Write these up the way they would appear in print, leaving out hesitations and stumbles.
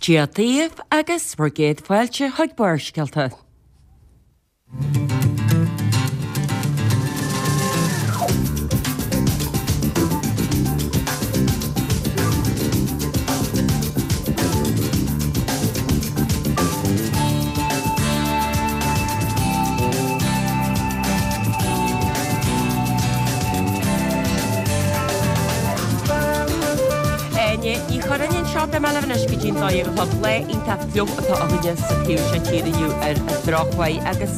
Dia daoibh agus bhur gcéad fáilte chuig Barrscéalta. Áine Ní Churráin anseo, beidh mé libh anois go dtí'n 12 a chlog. Lá iontach fliuch atá againne sa taobh seo tíre inniu ar an drochuair agus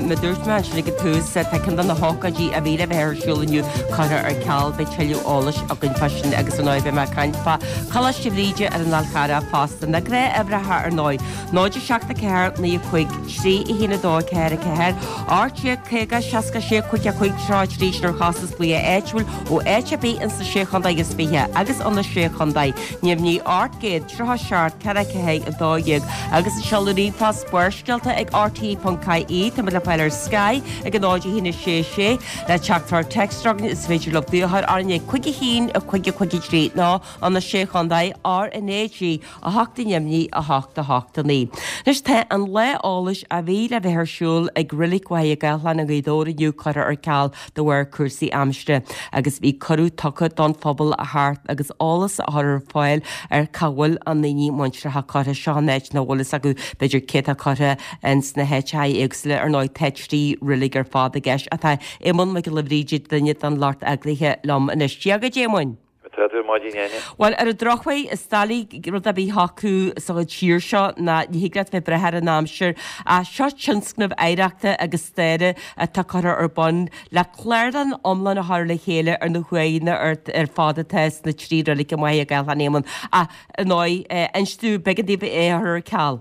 mar a dúirt mé ansin ag an tús, tá ceann de na hócáidí a bhí le bheith ar siúl inniu curtha ar ceal. Beidh tuilleadh eolais againn fá sin agus ar ndóigh beidh mé ag caint fá Choláiste Bhríde ar an Fhál Charrach fosta. Na gnáth-uimhreacha ar ndóigh, 0 7 4 9 5 3 1 2 4 4 18 50 66 5 5 33 sin ar chostas glaoch áitiúil ó áit ar bith ins na Sé Chontae is 20 agus ó na Sé Chontae neamhní 837 4 4 12 agus an seoladh ríomhphost barrscéalta ag rte.ie Tá muid le fáil ar Sky ag 0 1 6 6 le teachtaireacht téacs chugainn is féidir libh glaoch orainn ag 5 1 5 5 3 nó ó na Sé Chontae RnaG 8 neamhní 8 8 9. Anois tá an lá eolais a bhí le bheith ar siúl ag Reilig Mhachaire Gathlán i nGaoth Dobhair inniu curtha ar ceal de bharr cúrsaí aimsire agus bhí cuireadh tugtha don phobal a theacht agus eolas a chur ar fáil ar cá bhfuil a ndaoine muinteartha curtha. Seo an áit nach bhfuil fhios acu b'fhéidir cé atá curtha ins na háiteacha éagsúla. Ar ndóigh tá 3 reilig ar fad i gceist ach tá Éamonn Mac Giolla Bhríde, duine den lucht eagraithe liom anois. Dia dhuit Éamoinn. Tá tú ar maidin, Áine. Bhuel, ar an drochuair, is doiligh rud ar bith a shocrú sa tír seo ná ní thig leat bheith ag brath ar an aimsir. Ach seo tionscnamh oidhreachta agus staire atá curtha ar bun le clárlann iomlán a chur le chéile ar na huaigheanna ar fad atá sna trí reilig i Machaire Gathlán, Éamonn. Ach, ar ndóigh, inis dúinn, b'éigean daoibh é a chur ar ceal.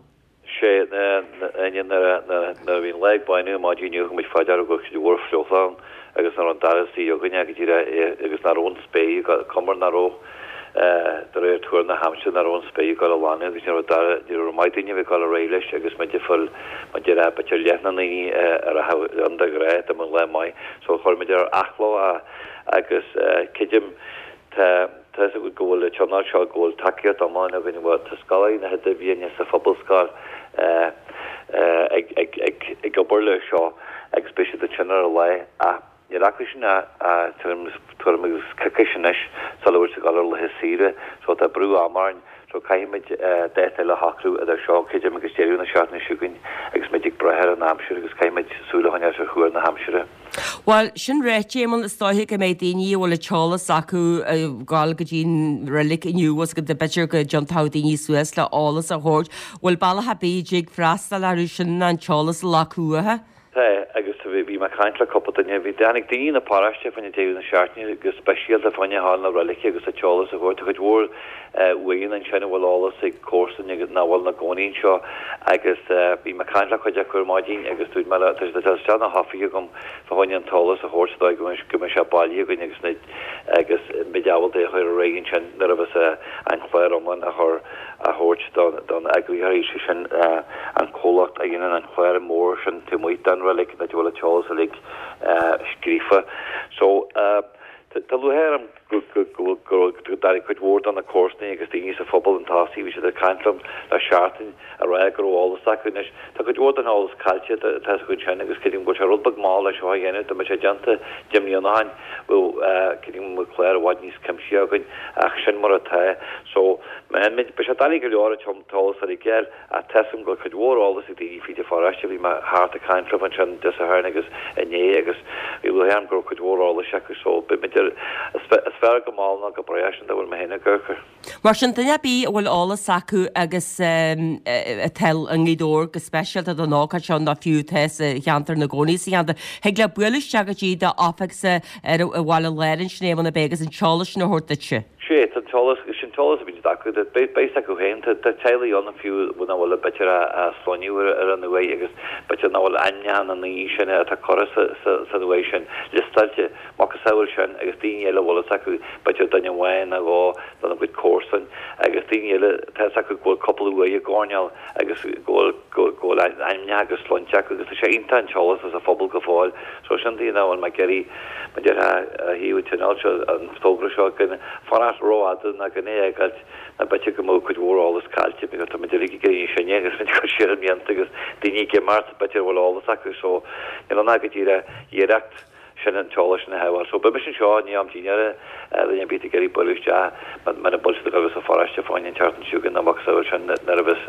Sé, Áine, nuair a bhí an lá ag bánú ar maidin inniu, thug muid fá deara go raibh cuid mhór fliuchta ann agus nach raibh an dara suí againne go díreach agus nach raibh an spéir, cuma nach raibh, de réir tuar na haimsire, nach raibh an spéir ag dul a ghlanadh agus ní raibh dara, ní raibh maith daoine a bheith ag dul ar aghaidh leis agus muid ag fáil, mar déarfá, b'fhéidir leath na ndaoine a rachadh ann de ghnáth dá mbeadh an lá maith. So chuir muid ar athló é agus creidim, Tá tá fhios agat go bhfuil an tionól seo, go bhfuil tacaíocht iomlán againn, bhuel, tá scoláirí na hIdirbhliana sa Phobalscoil ag ag ag ag obair leis seo agus beidh siad ansin ar an lá ach níl acu sin ach tuairim tuairim agus coicís anois sula bhfuil siad ag dul ar laetha saoire so tá brú ama orainn so caithfimid dáta eile a shocrú idir seo, creidim, agus deireadh na seachtaine seo chugainn agus muid ag brath ar an aimsir agus caithfimid súil a choinneáil ar thuar na haimsire. Bhuel, sin ráite, Éamonn, is dóiche go mbeidh daoine a bhfuil an t-eolas acu ag gabháil go dtí an reilig inniu agus go b'fhéidir go dtiontódh daoine suas le eolas a thabhairt. Bhfuil bealach ar bith a dtig freastal orthu sin ná an t-eolas a ghlacadh uathu? Tá, agus bhí mé ag caint le cúpla duine, bhí, tháinig daoine na paróiste fá choinne deireadh na seachtaine go speisialta fá choinne a ghabháil na reilice agus an t-eolas a thabhairt. Tá cuid mhór uaigheanna ansin a bhfuil eolas ag comharsain agus nach bhfuil ina gcónaí anseo agus bhí mé ag caint le cuid acu ar maidin agus dúirt mé leo, tá siad ag dul isteach na hoifige agam fá choinne an t-eolas a thabhairt sa dóigh go mbeidh go mbeidh sé bailithe againn agus na agus muid ábalta é a chur ar aghaidh ansin nuair a bheas an clár iomlán a chur a thabhairt don don eagraítheoir, sé sin an comhlacht a dhéanann an clár mór sin taobh amuigh den reilig áit a bhfuil an t-eolas uilig scríofa. So tá lúcháir orm go dtáinig cuid mhór de na comharsanaí agus daoine sa phobal chun tosaigh. Bhí siad ag caint liom le seachtain ag rá go raibh eolas acu. Anois, tá cuid mhór den eolas caillte, tá fhios againn sin, agus creidim go bhfuil sé rud beag mall leis seo a dhéanamh. Dá mbeadh sé déanta 10 mbliana ó shin, bheadh, creidim go mbeadh clár i bhfad níos cuimsithí againn, ach sin mar atá. So, beidh sé doiligh go leor an t-eolas uilig a fháil. Ach tá fhios agam go bhfuil cuid mhór eolas ag daoine fríd an pharóiste. Bhí mé thart ag caint leo ansin Dé Sathairn agus inné agus bhí lúcháir orm go raibh cuid mhór eolais acu so beidh muid ar, is fearr go mall ná go brách sin dá bhfuil mé féin ag amharc air. Mar sin, duine ar bith a bhfuil eolas acu agus atá i nGaoth Dobhair go speisialta don ócáid seo nó fiú atá sa cheantar ina gcónaí sa cheantar, thig leo bualadh isteach go dtí d'oifigse ar i bhaile Láir ansin Éamonn ab é agus an t-eolas sin a thabhairt duitse. Sea, tá an t-eolas, sin an t-eolas a bhíonn acu, beidh fhios acu féin, tá teaghlaigh ann fiú nach bhfuil b'fhéidir a sloinneadh ar an uaigh agus b'fhéidir nach bhfuil ainmneacha na ndaoine sin atá curtha san uaigh sin liostáilte, macasamhail sin agus daoine eile a bhfuil fhios acu, b'fhéidir duine amháin nó dhó dona gcuid comharsan agus daoine eile, tá fhios acu go bhfuil cúpla uaigh i gcoirnéal agus go bhfuil go bhfuil ainmneacha agus sloinnte acu agus tá sé iontach an t-eolas as an phobal go fóill so sin tuige nach bhfuil mé ag iarraidh mar déarfá ó thaobh an tionóil seo an togra seo gan fanacht rófhada ná gan é a fhágáilt nó b'fhéidir go mbeadh cuid mhór eolas caillte. áite because tá muid uilig ag éirí níos sine agus muid ag cur siar na mblianta agus daoine ag imeacht b'fhéidir a bhfuil eolas acu so níl ann ach go díreach iarracht sin an t-eolas sin a shábháil. So beidh mise anseo i ndiaidh am dinnéara duine ar bith ag iarraidh bualadh isteach muna bhfuil siad ag dul sa pharóiste fá choinne an tseachtain seo chugainn nó macasamhail sin nuair a bheas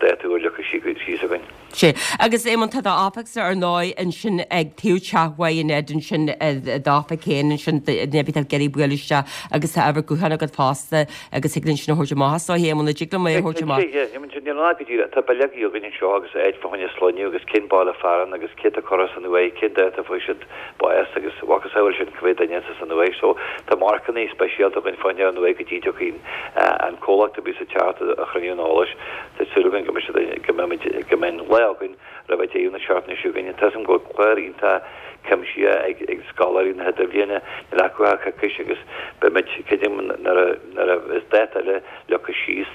dáta úr leagtha síos againn. Sea. Agus Éamonn, tá d'oifigse ar ndóigh ansin ag taobh teach Mhaigh Ned ansin, d'oifig féin ansin, duine ar bith atá ag iarraidh bualadh isteach agus tá uimhir gutháin agat fosta agus thig linn sin a thabhairt amach is dóigh, Éamonn, an dtig liom é a thabhairt amach? Cinnte, yeah. Níl ann ach go díreach, tá bileogaí againn anseo agus áit fá choinne sloinneadh agus cén baile fearainn agus cé atá curtha san uaigh, cén dáta a fuair siad bás agus macasamhail sin cá mhéad duine atá san uaigh. So tá marcannaí speisialta againn fá choinne an uaigh go dtí dtiocfaidh an comhlacht a bhíos ag teacht a chruinniú an eolais. Tá súil againn go mbeidh siad, go mbeimid, go mbeidh an lá againn roimh deireadh na seachtaine seo chugainn. Tá 'fhios a'm go bhfuil clár iontach cuimsithe ag ag scoláirí na hidirbhliana, níl acu ach coicís agus beimid, creidim nuair a nuair a bheas dáta eile leagtha síos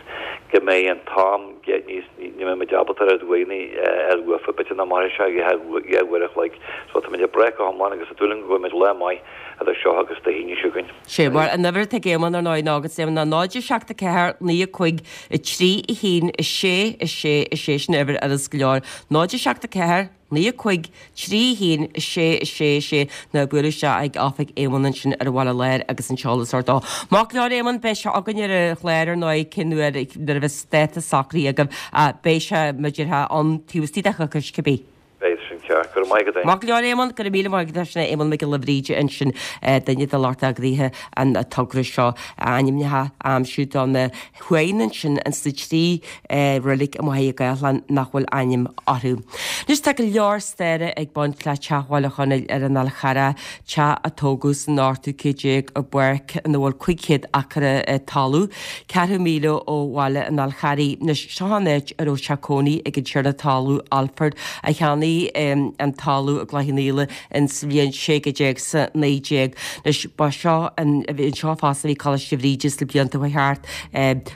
go mbeidh an t-am níos, ní mbeimid ábalta oiread uaigheanna a fháil uafa, b'fhéidir nach mairfidh sé ach 2 uair a chloig. So táimid ag brath go hiomlán agus ag dúil go bhfaighimid lá maith idir seo agus Dé hAoine seo chugainn. Sé mar an uimhir atá ag Éamonn ar ndóigh ná agus Éamonn ná 0 7 4 9 5 3 1 6 6 6 sin uimhir fhurast go leor 0 7 4 9 5 3 1 6 6 6 nó buail isteach ag oifig Éamonn ansin ar an Bhaile Láir agus an t-eolas a thabhairt dó. Maith go leor Éamonn beidh sé againn ar an chlár ar ndóigh cén uair nuair a bheas dáta socraithe agaibh ach beidh sé mar a déarfá ann taobh istigh de choicís cibé. Beidh sin ceart. Go raibh maith agat, Éamonn. Maith go leor, Éamonn. Go raibh míle maith agat. Sin é Éamonn Mac Giolla Bhríde ansin, duine de lucht eagraithe an togra seo, ainmneacha a aimsiú do na huaigheanna ansin ins na trí reilig i Machaire Gathlán nach bhfuil ainm orthu. Anois tá go leor staire ag baint le Teach Bhaile Chonaill ar an Fhál Charrach, teach a tógadh san ochtú céad déag i bpáirc ina bhfuil 500 acra talún. Ceathrú míle ó bhaile an Fháil Charraigh. Anois, seo an áit a raibh teach cónaí ag an tiarna talún Alford, a cheannaigh an talamh i gCloich Cheann Fhaola ins bhliain 1619. Anois, ba seo an, anseo fosta a bhí Coláiste Bhríde sna blianta a chuaigh thart,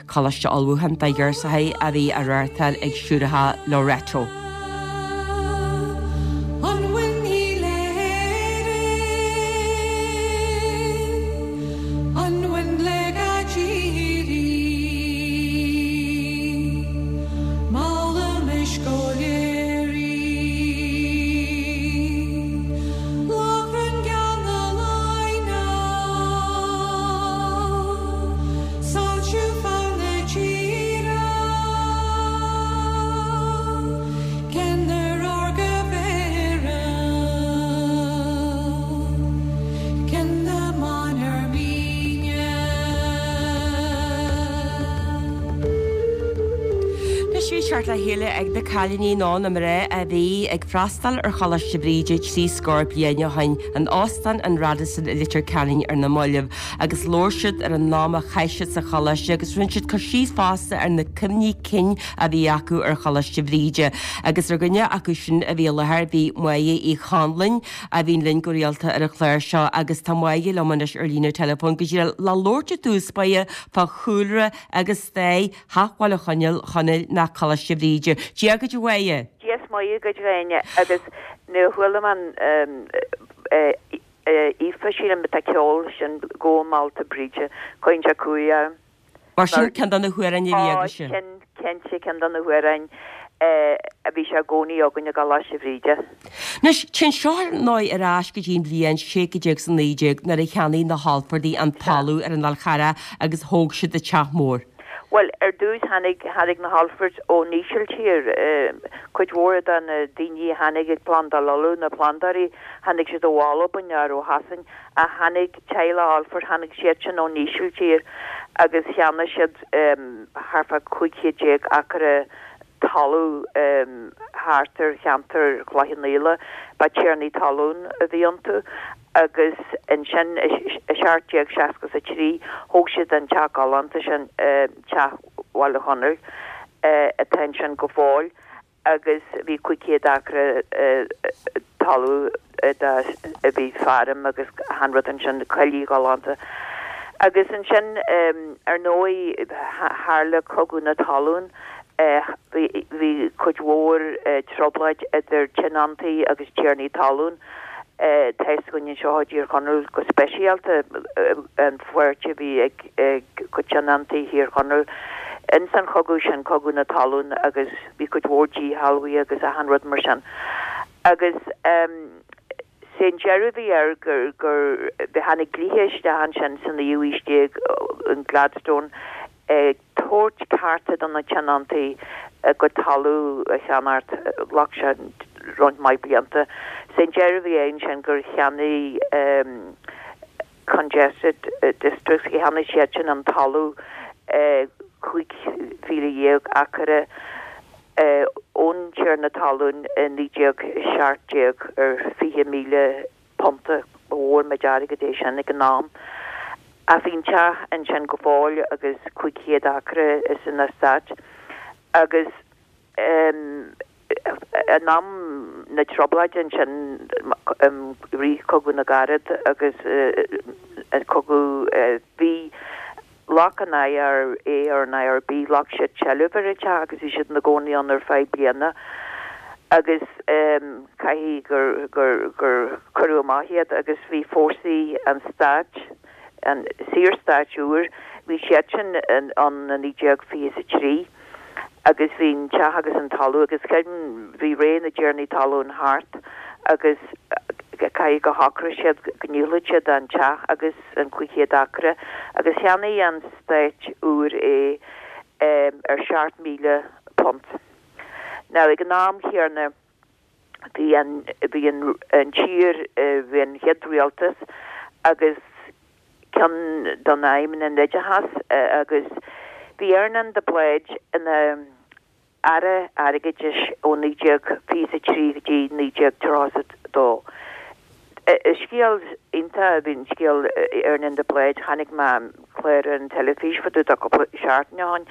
coláiste ullmhúcháin do ghirseachaí a bhí á reáchtáil ag Siúracha Loreto. An bhfuil le gaidírí? Molaimis go léir í. Lóchrann geal na Laighne, Soilsiú fann na tíre, Ceannaire órga Bhéarra. Cionn na mban ar míne. Anois bhí teacht le chéile ag na cailíní nó na mná a bhí ag freastal ar Choláiste Bhríde trí scór bliain ó shin in Óstán an Radisson i Leitir Ceanainn ar na mallaibh agus labhair siad ar an am a chaith siad sa choláiste agus rinne siad cur síos fosta ar na cuimhní cinn a bhí acu ar Choláiste Bhríde agus ar dhuine acu sin a bhí i láthair bhí Máire Uí Chonluain a bhíonn linn go rialta ar an chlár seo agus tá Máire liom anois ar líne teileafóin go díreach le labhairt i dtús báire fá chúlra agus stair Theach Bhaile Chonaill, Chonaill ná Coláiste Bhríde. Dia dhuit a Mháire! Dia is Muire dhuit a Ghráinne agus nuair a chuala mé an Aoife sílim atá ag ceol sin Go Meallta Bríde cuireann sé cumhaidh orm. Mar sin ceann de na hamhráin a bhí agaibhse. Ó, sin cinnte ceann de na hamhráin a bhí sé i gcónaí againn i gColáiste Bhríde. Anois, téann seo ar ndóigh ar ais go dtí an bhliain 1619 nuair a cheannaigh na hAlfordaigh an talamh ar an Fhál Charrach agus thóg siad an teach mór. Bhuel, ar dtús tháinig, tháinig na hAlfords ón Ísiltír. Cuid mhór de na daoine a tháinig ag plandáil Uladh, na plandóirí, tháinig siad ó Albain nó ó Shasain. Ach tháinig teaghlach Alford, tháinig siadsan ón Ísiltír agus cheannaigh siad thart fá 1500 acra talún thart ar cheantar Chloich Cheann Fhaola. Ba tiarnaí talún a bhí iontu agus ansin i 1763 thóg siad an teach galánta sin, Teach Bhaile Chonaill, atá ansin go fóill. agus bhí 500 acra talún a bhí feirm agus achan rud ansin, coillidh ghalánta. Agus ansin, ar ndóigh, tharla Cogadh na Talún, bhí cuid mhór trioblóid idir tionóntaí agus tiarnaí talún. Tá fhios againn anseo i dTír Chonaill go speisialta an pháirt a bhí ag cuid tionóntaí Thír Chonaill. Ins an chogadh sin, cogadh na talún agus bhí cuid mhór díshealbhaithe agus achan rud mar sin. Agus sé an deireadh a bhí air gur, gur, tháinig dlíthe isteach ansin sa naoú aois déag, an Gladstone, ag tabhairt cearta do na tionóntaí a gcuid talamh a cheannacht, ghlac sé roinnt mhaith blianta. Sé an deireadh a bhí air ansin gur cheannaigh Congested Districts, cheannaigh siad sin an talamh 15,000 acra ón tiarna talún i 1917 ar 20,000 punta, ba mhór an méid airgid é sin ag an am. Ach bhí an teach ansin go fóill agus 500 acra is an eastát agus in am na trioblóide ansin i rith Cogadh na gCarad agus an cogadh bhí Ghlac an IRA or an IRB, ghlac siad seilbh ar an teach agus bhí siad ina gcónaí ann ar feadh bliana agus caithfidh gur, gur, gur cuireadh amach iad agus bhí fórsaí an stáit, an Saorstáit úr, bhí siadsan ann i 1923. Agus bhí an teach agus an talamh agus creidim bhí ré na dtiarnaí talún thart agus caithfidh gur shocraigh siad go ndíolfadh siad an teach agus an 500 acra agus cheannaigh an stát úr é ar £7,000. Now ag an am chéanna bhí an bhí an an tír bhí an chéad rialtas agus ceann de na aidhmeanna an oideachas agus bhí Earnán de Blaghd ina Aire Airgeadais ó 1923 go dtí 1932. Is scéal iontach a bhí in scéal Earnán de Blaghd. Chonaic mé clár ar an teilifís fá dtaobh de cúpla seachtain ó shin.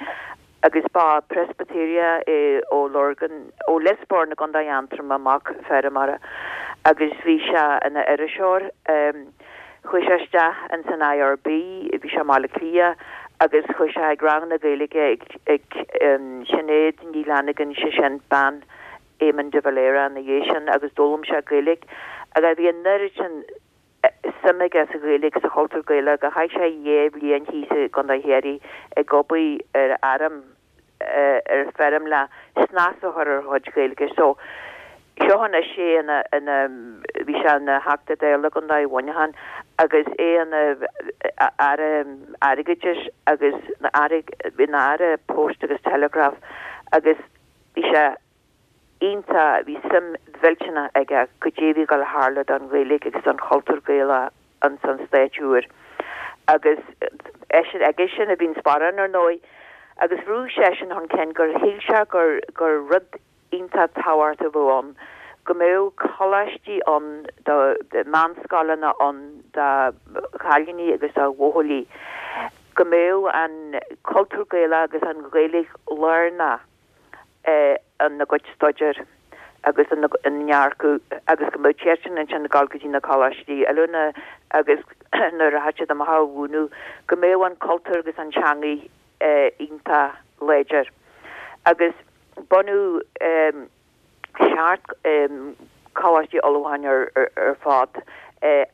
Agus ba Presbyteriach é ó Lurgan, ó Lios Boirn i gContae Aontroma, mac feirmeora, agus bhí sé ina iriseoir. Chuaigh sé isteach ins an IRB, bhí sé i mBaile Átha Cliath, agus chuaigh sé ag ranganna Gaeilge ag ag Sinéad Ní Fhlannagáin, sé sin bean Éamon de Valera ina dhiaidh sin, agus d'fhoghlaim sé Gaeilge. Agus bhí an oiread sin suim aige sa Ghaeilge, sa chultúr Gaelach gur chaith sé dhá bhliain thíos i gContae Chiarraí ag obair ar fheirm, ar feirm le snas a chur ar a chuid Gaeilge. So, seo anois é ina, ina, bhí sé ina Theachta Dála i gContae Mhuineacháin agus é ina Aire Airgeadais agus ina Aire Post agus Telegraph agus bhí sé iontach, bhí suim mhillteanach aige goidé a bhí ag dul a tharlú don Ghaeilge agus don chultúr Gaelach ins an Stát úr. Agus eisean, aige sin a bhí an sparán ar ndóigh, agus bhrúigh seisean chun cinn gur shíl sé gur, gur rud iontach tábhachtach a bheadh ann, go mbeadh coláistí ann do, meánscoileanna ann do chailíní agus do bhuachaillí, go mbeadh an cultúr Gaelach agus an Ghaeilge lárnach. ina gcuid staidéir agus ina ndearcadh agus go mbeadh siadsan ansin ag dul go dtí na coláistí oiliúna agus nuair a rachadh siad amach a mhúineadh go mbeadh an cultúr agus an teangaidh iontach láidir. Agus bunú seacht coláistí ullmhúcháin ar fad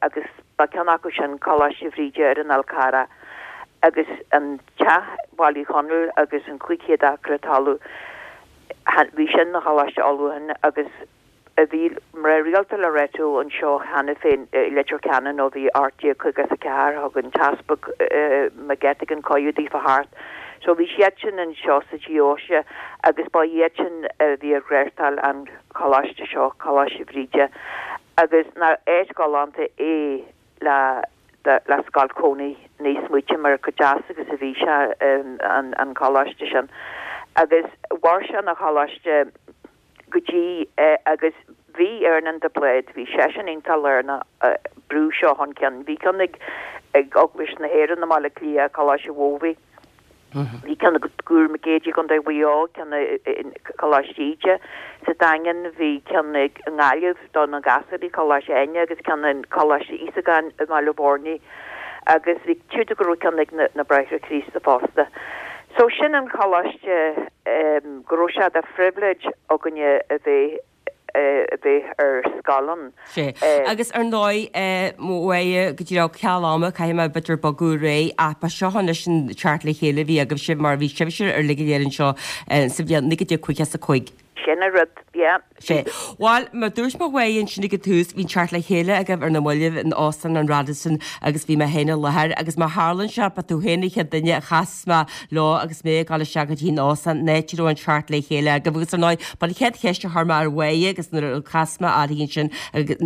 agus ba ceann acu sin Coláiste Bhríde ar an Fhál Carrach agus an teach Baile Uí Chonaill agus an 500 acra talamh bhí sin ina choláiste ullmhúcháin agus bhí mná rialta Loreto anseo cheana féin i Leitir Ceanainn ó bhí 1854, thug an tEaspag McGettigan cuireadh daofa theacht. So bhí siadsan anseo sa deoise agus ba iad sin a bhí ag reáchtáil an choláiste seo, Coláiste Bhríde, agus nach áit ghalánta é le le scoil cónaí ní smaoitim ar chomh deas agus a bhí sé an coláiste sin. Agus mhair sé ina choláiste go dtí agus bhí Earnán de Blaghd, bhí seisean iontach lárnach brú seo chun cinn. Bhí ceann ag ag Eaglais na hÉireann i mBaile Átha Cliath, Coláiste Mhóbhaí. Bhí ceann ag Tuar Mhic Éadaigh i gContae Mhaigh Eo, ceann i Coláiste Íde sa Daingean, bhí ceann i nGaillimh do na gasúirí, Coláiste Áine, agus ceann i Coláiste Íosagáin i mBaile Bhuirne agus bhí siúd go raibh ceann ag na Bráithre Críosta fosta. So sin an choláiste go raibh sé de phribhléid againne a bheith. a bheith ar scáileán. Sea. Agus ar ndóigh, Máire, go díreach ceal ama, caithfidh mé b'fhéidir bogadh ar aghaidh, ach ba seo anois an teacht le chéile a bhí agaibhse mar bhí sibhse uilig go léir anseo sa bhliain 1955. Sin an rud, yeah. Sea. Bhuel, mar dúirt mé Mháire ansin ag an tús, bhí an teacht le chéile agaibh ar na mallaibh in Óstán an Radisson agus bhí mé féin i láthair agus má tharlaíonn sé, ba tú féin an chéad duine a chas mé leo agus mé ag dul isteach go dtí an óstán, an áit a raibh an teacht le chéile agaibh agus ar ndóigh, ba an chéad cheist a chuir mé ar Mháire agus nuair a chas mé uirthi ansin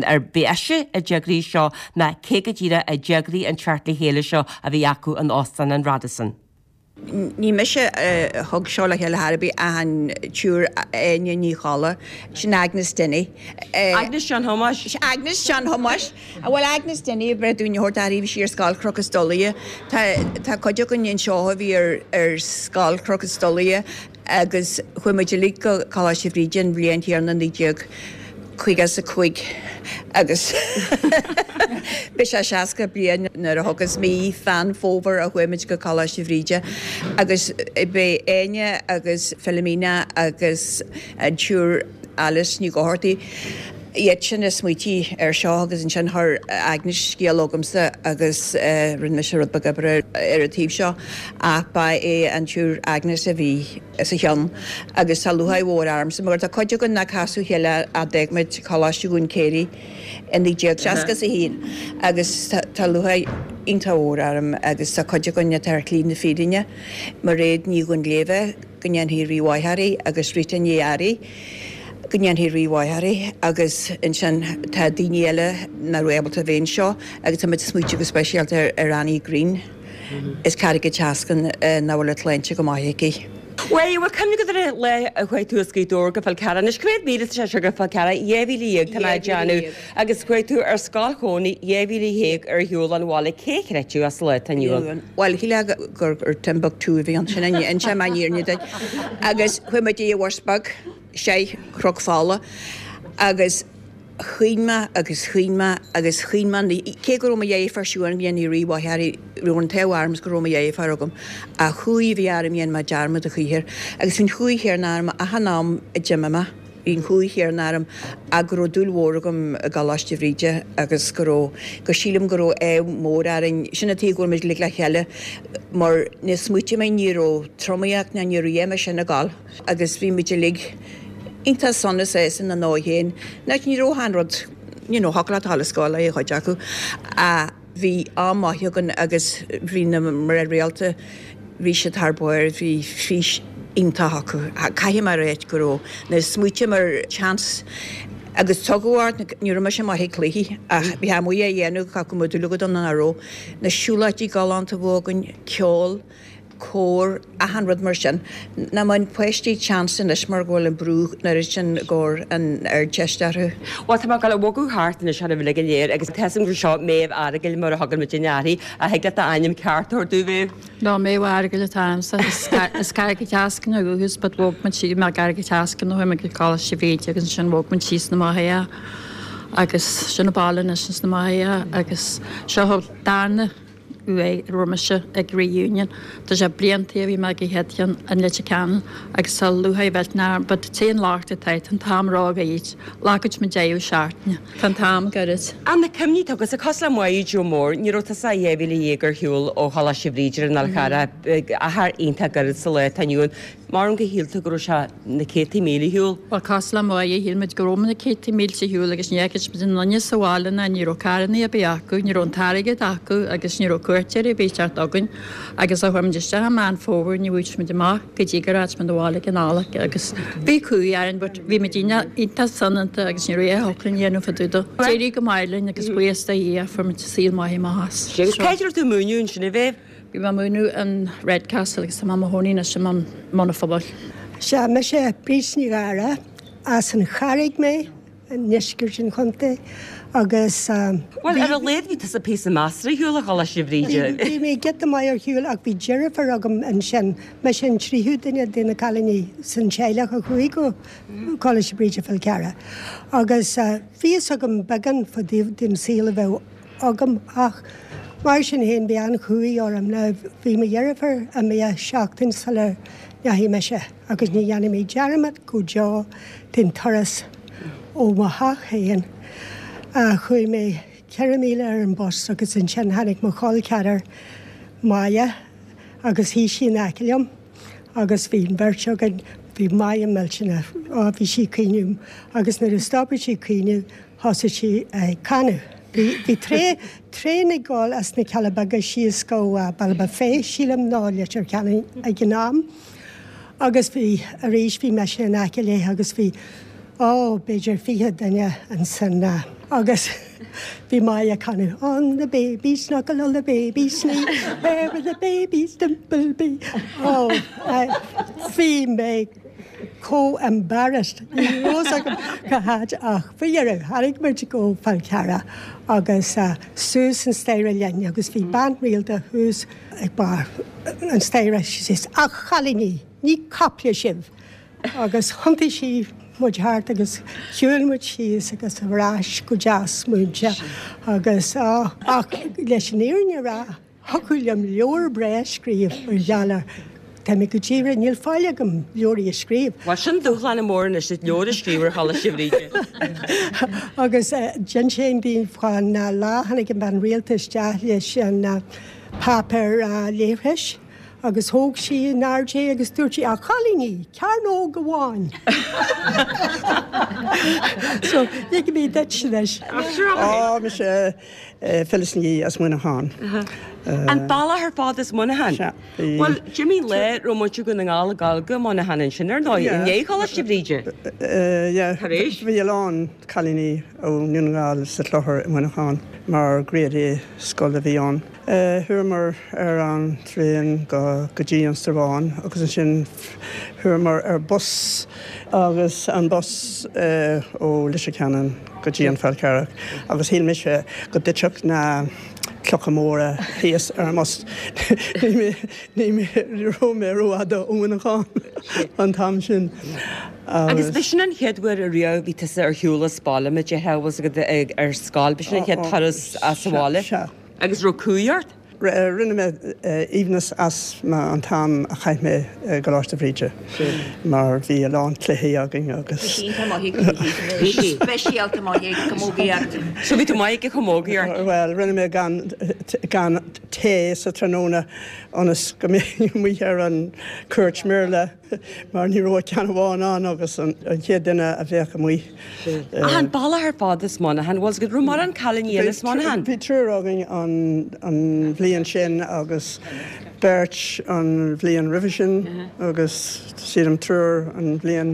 ar b'í ise a d'eagraigh seo ná cé go díreach a d'eagraigh an teacht le chéile seo a bhí acu in Óstán an Radisson. Ní mise a thug seo le chéile chor ar bith ach an tSiúr Áine Ní Cholla, sin Agnes Dinny. Agnes John Thomáis. Agnes John Thomáis. Bhuel Agnes Dinny ab bhreá dúinn a thabhairt uirthi, bhí sí ar Scoil Chnoc an Stolaire. Tá tá cuid againn anseo a bhí ar ar Scoil Chnoc an Stolaire agus chuaigh muid uilig go Coláiste Bhríde an bhliain chéanna 1955 agus beidh sé 60 bliain nuair a thiocfas mí Mheán Fómhair a chuaigh muid go Coláiste Bhríde agus b'é Áine agus Philomena agus an tSiúr Alice Ní Dhochartaigh iad sin a smaoitigh air seo agus ansin chuir Agnes scéal chugamsa agus rinne mise rud beag oibre ar an taobh seo ach ba é an tSiúr Agnes a bhí sa cheann agus tá lúcháir mhór ormsa mar tá cuid againn nár casadh a chéile ó d'fhág muid Coláiste Dhún Céirí i 1961 agus tá lúcháir iontach mhór orm agus tá cuid againn atá ar shlí na fírinne, Mairéad Ní Dhuinnshléibhe, Go ndéanfaidh Rí mhaith uirthi agus Rita Ní Fhearraigh, go ndéanfaidh Rí mhaith uirthi agus ansin tá daoine eile nach raibh ábalta a bheith anseo agus tá muid ag smaoitiú go speisialta ar Annie Green as Carraig an tSeascainn nach bhfuil an tsláinte go maith aici. Bhuel, bhfuil cuimhne agat ar an lá a chuaigh tú as Gaoth Dobhair go Fál Carrach? Anois, cá mhéad míle atá sé seo go Fál Carrach? 12,000, tá mé ag déanamh. Agus chuaigh tú ar scoil Chónaí 12,000 ar shiúl ón bhaile, cé a chreidfeadh é sa lá atá inniu ann? Bhuel, shílfeá gur Timbuktu a bhí ann, sin inseoidh mé an fhírinne duit. Agus chuaigh muid ar bhus beag, isteach Cnoc Fola, agus chaoin mé agus chaoin mé agus chaoin mé, cé go raibh mo dheirfiúr Siún go ndéanfaidh Rí mhaith uirthi, raibh an t-ádh orm is go raibh mo dheirfiúr agam, ach chumhaidh a bhí orm dhein mé dearmad a choíche air. Agus bhí an chumhaidh chéanna orm achan am a d'imigh mé. Bhí an chumhaidh chéanna orm ach go raibh dúil mhór agam i gColáiste Bhríde agus go raibh, go sílim go raibh ádh mór orainn, sin an tuige go bhfuil muid uilig le chéile mar ní smaoitigh mé ní raibh tromaíocht ná ní raibh a dhath mar sin ag gabháil agus bhí muid uilig iontach sona sásta ina ndóigh féin. Nach ní raibh achan rud, you know, thiocfadh leat a dhul ar scoil a chuid acu ach bhí am maith againn agus bhí na mná rialta, bhí siad thar barr, bhí fís iontach acu. Caithfidh mé a ráit go raibh, nuair a smaoitím ar chance agus tugadh ort, ní raibh mise maith ag cluichí ach bhí amuigh á dhéanamh, go mbeadh dúil agat ann nó nach raibh, na siúlóidí galánta a bhí againn, ceol, cór, achan rud mar sin. Nach mbeadh páistí chance anois mar go bhfuil an brú an oiread sin i gcomhair an Ardteist orthu. Bhuel, tá mé ag dul a bhogadh thart anois oraibh uilig go léir agus tá a fhios agam gur seo Méabh Fhearghail mar a thugann muidinne uirthi. Ach thig leat d'ainm ceart a thabhairt dúinn, Mhéabh? No, Méabh Fhearghail atá a'msa. As Carraig an tSeascainn ó dhúchas but bhog muid síos, mé i gCarraig an tSeascainn ó chuaigh mé go Coláiste Bhríde agus ansin bhog muid síos na Machaire agus sin an baile anois ins na Machaire agus seo an darna uair a raibh mise ag reunion. Tá sé blianta ó bhí mé ag an chéad cheann in Leitir Ceanainn agus tá lúcháir mhillteanach orm but téann lucht atá tá an t-am ró-ghairid. Glacann muid deireadh seachtaine. Tá an t-am gairid. Ach na cuimhní atá agatsa, cosúil le Máire Joe Mór, ní raibh tusa ach 12,000 ar shiúl ó Choláiste Bhríde ar an Fhál Charrach, achar iontach gairid sa lá atá inniu ann. Measaim gur shíl tú go raibh sé na céadtaí míle ar shiúl. Bhuel, cosúil le Máire, shíl muid go raibh na céadtaí mílte ar shiúl agus ní fhaca muid aon duine sa bhaile ná ní raibh carrannaí ar bith acu, ní raibh an t-airgead acu agus ní raibh cuairteoirí ar bith ag teacht chugainn agus ó chuaigh muid isteach i Meán Fómhair ní bhfuair muid amach go dtí gur fhág muid abhaile ag an Nollaig agus bhí cumhaidh orainn but bhí muid iontach soineanta agus ní raibh aon fhocal le déanamh fá dtaobh dó. D'éirigh go maith linn agus buíochas do Dhia fuair muid saol maith amach as. Agus cá háit a raibh tú ag múineadh ansin a Mhéabh? Bhí mé ag múineadh in Redcastle agus tá mé i mo chónaí anois i mBun an Phobail. Sea, mise Bríd Ní Ghadhra, as an Charraig mé, i ndeisceart an chontae, agus Bhuel, ar a laghad bhí tusa píosa measartha ar shiúl ó Choláiste Bhríde. Bhí mé giota maith ar shiúl ach bhí deirfiúr agam ansin, mise an tríú duine de na cailíní san teaghlach a chuaigh go Coláiste Bríde Fál Carrach. Agus bhí fhios agam beagán fá dtaobh den saol a bheadh agam ach mar sin féin bhí an-chumhaidh orm. Now bhí mo dheirfiúr imithe seachtain sula ndeachaigh mise agus ní dhéanfaidh mé dearmad go deo den turas Ó mo theach féin chuaigh mé 4,000 míle ar an bus agus ansin tháinig mo chol ceathrar Máire agus shuigh sí in aice liom agus bhí an bheirt againn, bhí Máire millteanach, á bhí sí ag caoineadh agus nuair a stopadh sí ag caoineadh thosaigh sí ag canadh. Bhí, bhí traein ag dul as na Cealla Beaga síos go Baile Bhé, sílim, nó Leitir Ceanainn ag an am. Agus bhí, arís, bhí mise in aice léi agus bhí, ó, b'fhéidir 20 duine ansin agus bhí Máire ag canadh On the baby's knuckle, on the baby's knee, where will the baby's dimple be? Ó, bhí mé chomh embarrassed, ní raibh fhios agam cá háit ach faoi dheireadh tháinig muid go Fál Carrach agus suas an staighre linn agus bhí bean rialta thuas ag barr an staighre, she says, A chailíní, ní caiple sibh! Agus thiontaigh sí muid thart agus shiúil muid síos agus ar ais go deas múinte agus, á, ach leis an fhírinne a rá, thiocfadh liom leabhar breá a scríobh mar gheall air. Tá mé go díreach, níl faill agam leabhraí a scríobh. Bhuel, sin dúshlán mór anois duit, leabhar a scríobh ar Choláiste Bhríde. Agus d'inseoinn daoibh fán lá a tháinig an bhean rialta isteach leis an páipéar leithris agus thóg sí in airde é agus dúirt sí, A chailíní, cearnóg amháin! So, ligfidh mé duit anois. Á, mise Phyllis Ní as Muineachán. An bealach ar fad as Muineachán? Sea. Bhuel, d'imigh lá a raibh muintir Dhún na nGall ag gabháil go Muineachán ansin, ar ndóigh, i ndiaidh Choláiste Bhríde. Yeah. Tar éis. Bhí a lán cailíní ó Dhún na nGall sa chlochar i Muineachán mar Grade A scoil a bhí ann. Chuamar ar an traein go go dtí an Strabhán agus ansin chuamar ar bus agus an bus ó Leitir Ceanainn go dtí an Fál Carrach agus shíl mise go dtitfeadh na clocha móra thíos ar an mbus. Ní raibh mé rófhada ó Mhuineachán an t-am sin. Agus b'shin an chéad uair ariamh a bhí tusa ar shiúl as baile, mar a déarfá, bhfuil 's agat ar scoil, b'shin an chéad turas as an bhaile. Sea. Agus raibh cumhaidh ort? Rinne mé aoibhneas as an t-am a chaith mé i gColáiste Bhríde mar bhí a lán cluichí againn agus. Bhí sí iontach maith ag cluichí. Bhí sí. Speisialta maith ag camógaíocht. So bhí tú maith ag camógaíocht? Bhuel, rinne mé gan gan tae sa tráthnóna ionas go mbeinn amuigh ar an cúirt mírle. mar ní raibh ach ceann amháin ann agus an chéad duine a bheadh amuigh. Ach an bealach ar fad as Muineachán, bhfuil 's agat, raibh mórán cailíní eile as Muineachán? Bhí triúr againn an bhliain sin agus beirt an bhliain roimhe sin agus sílim triúr an bhliain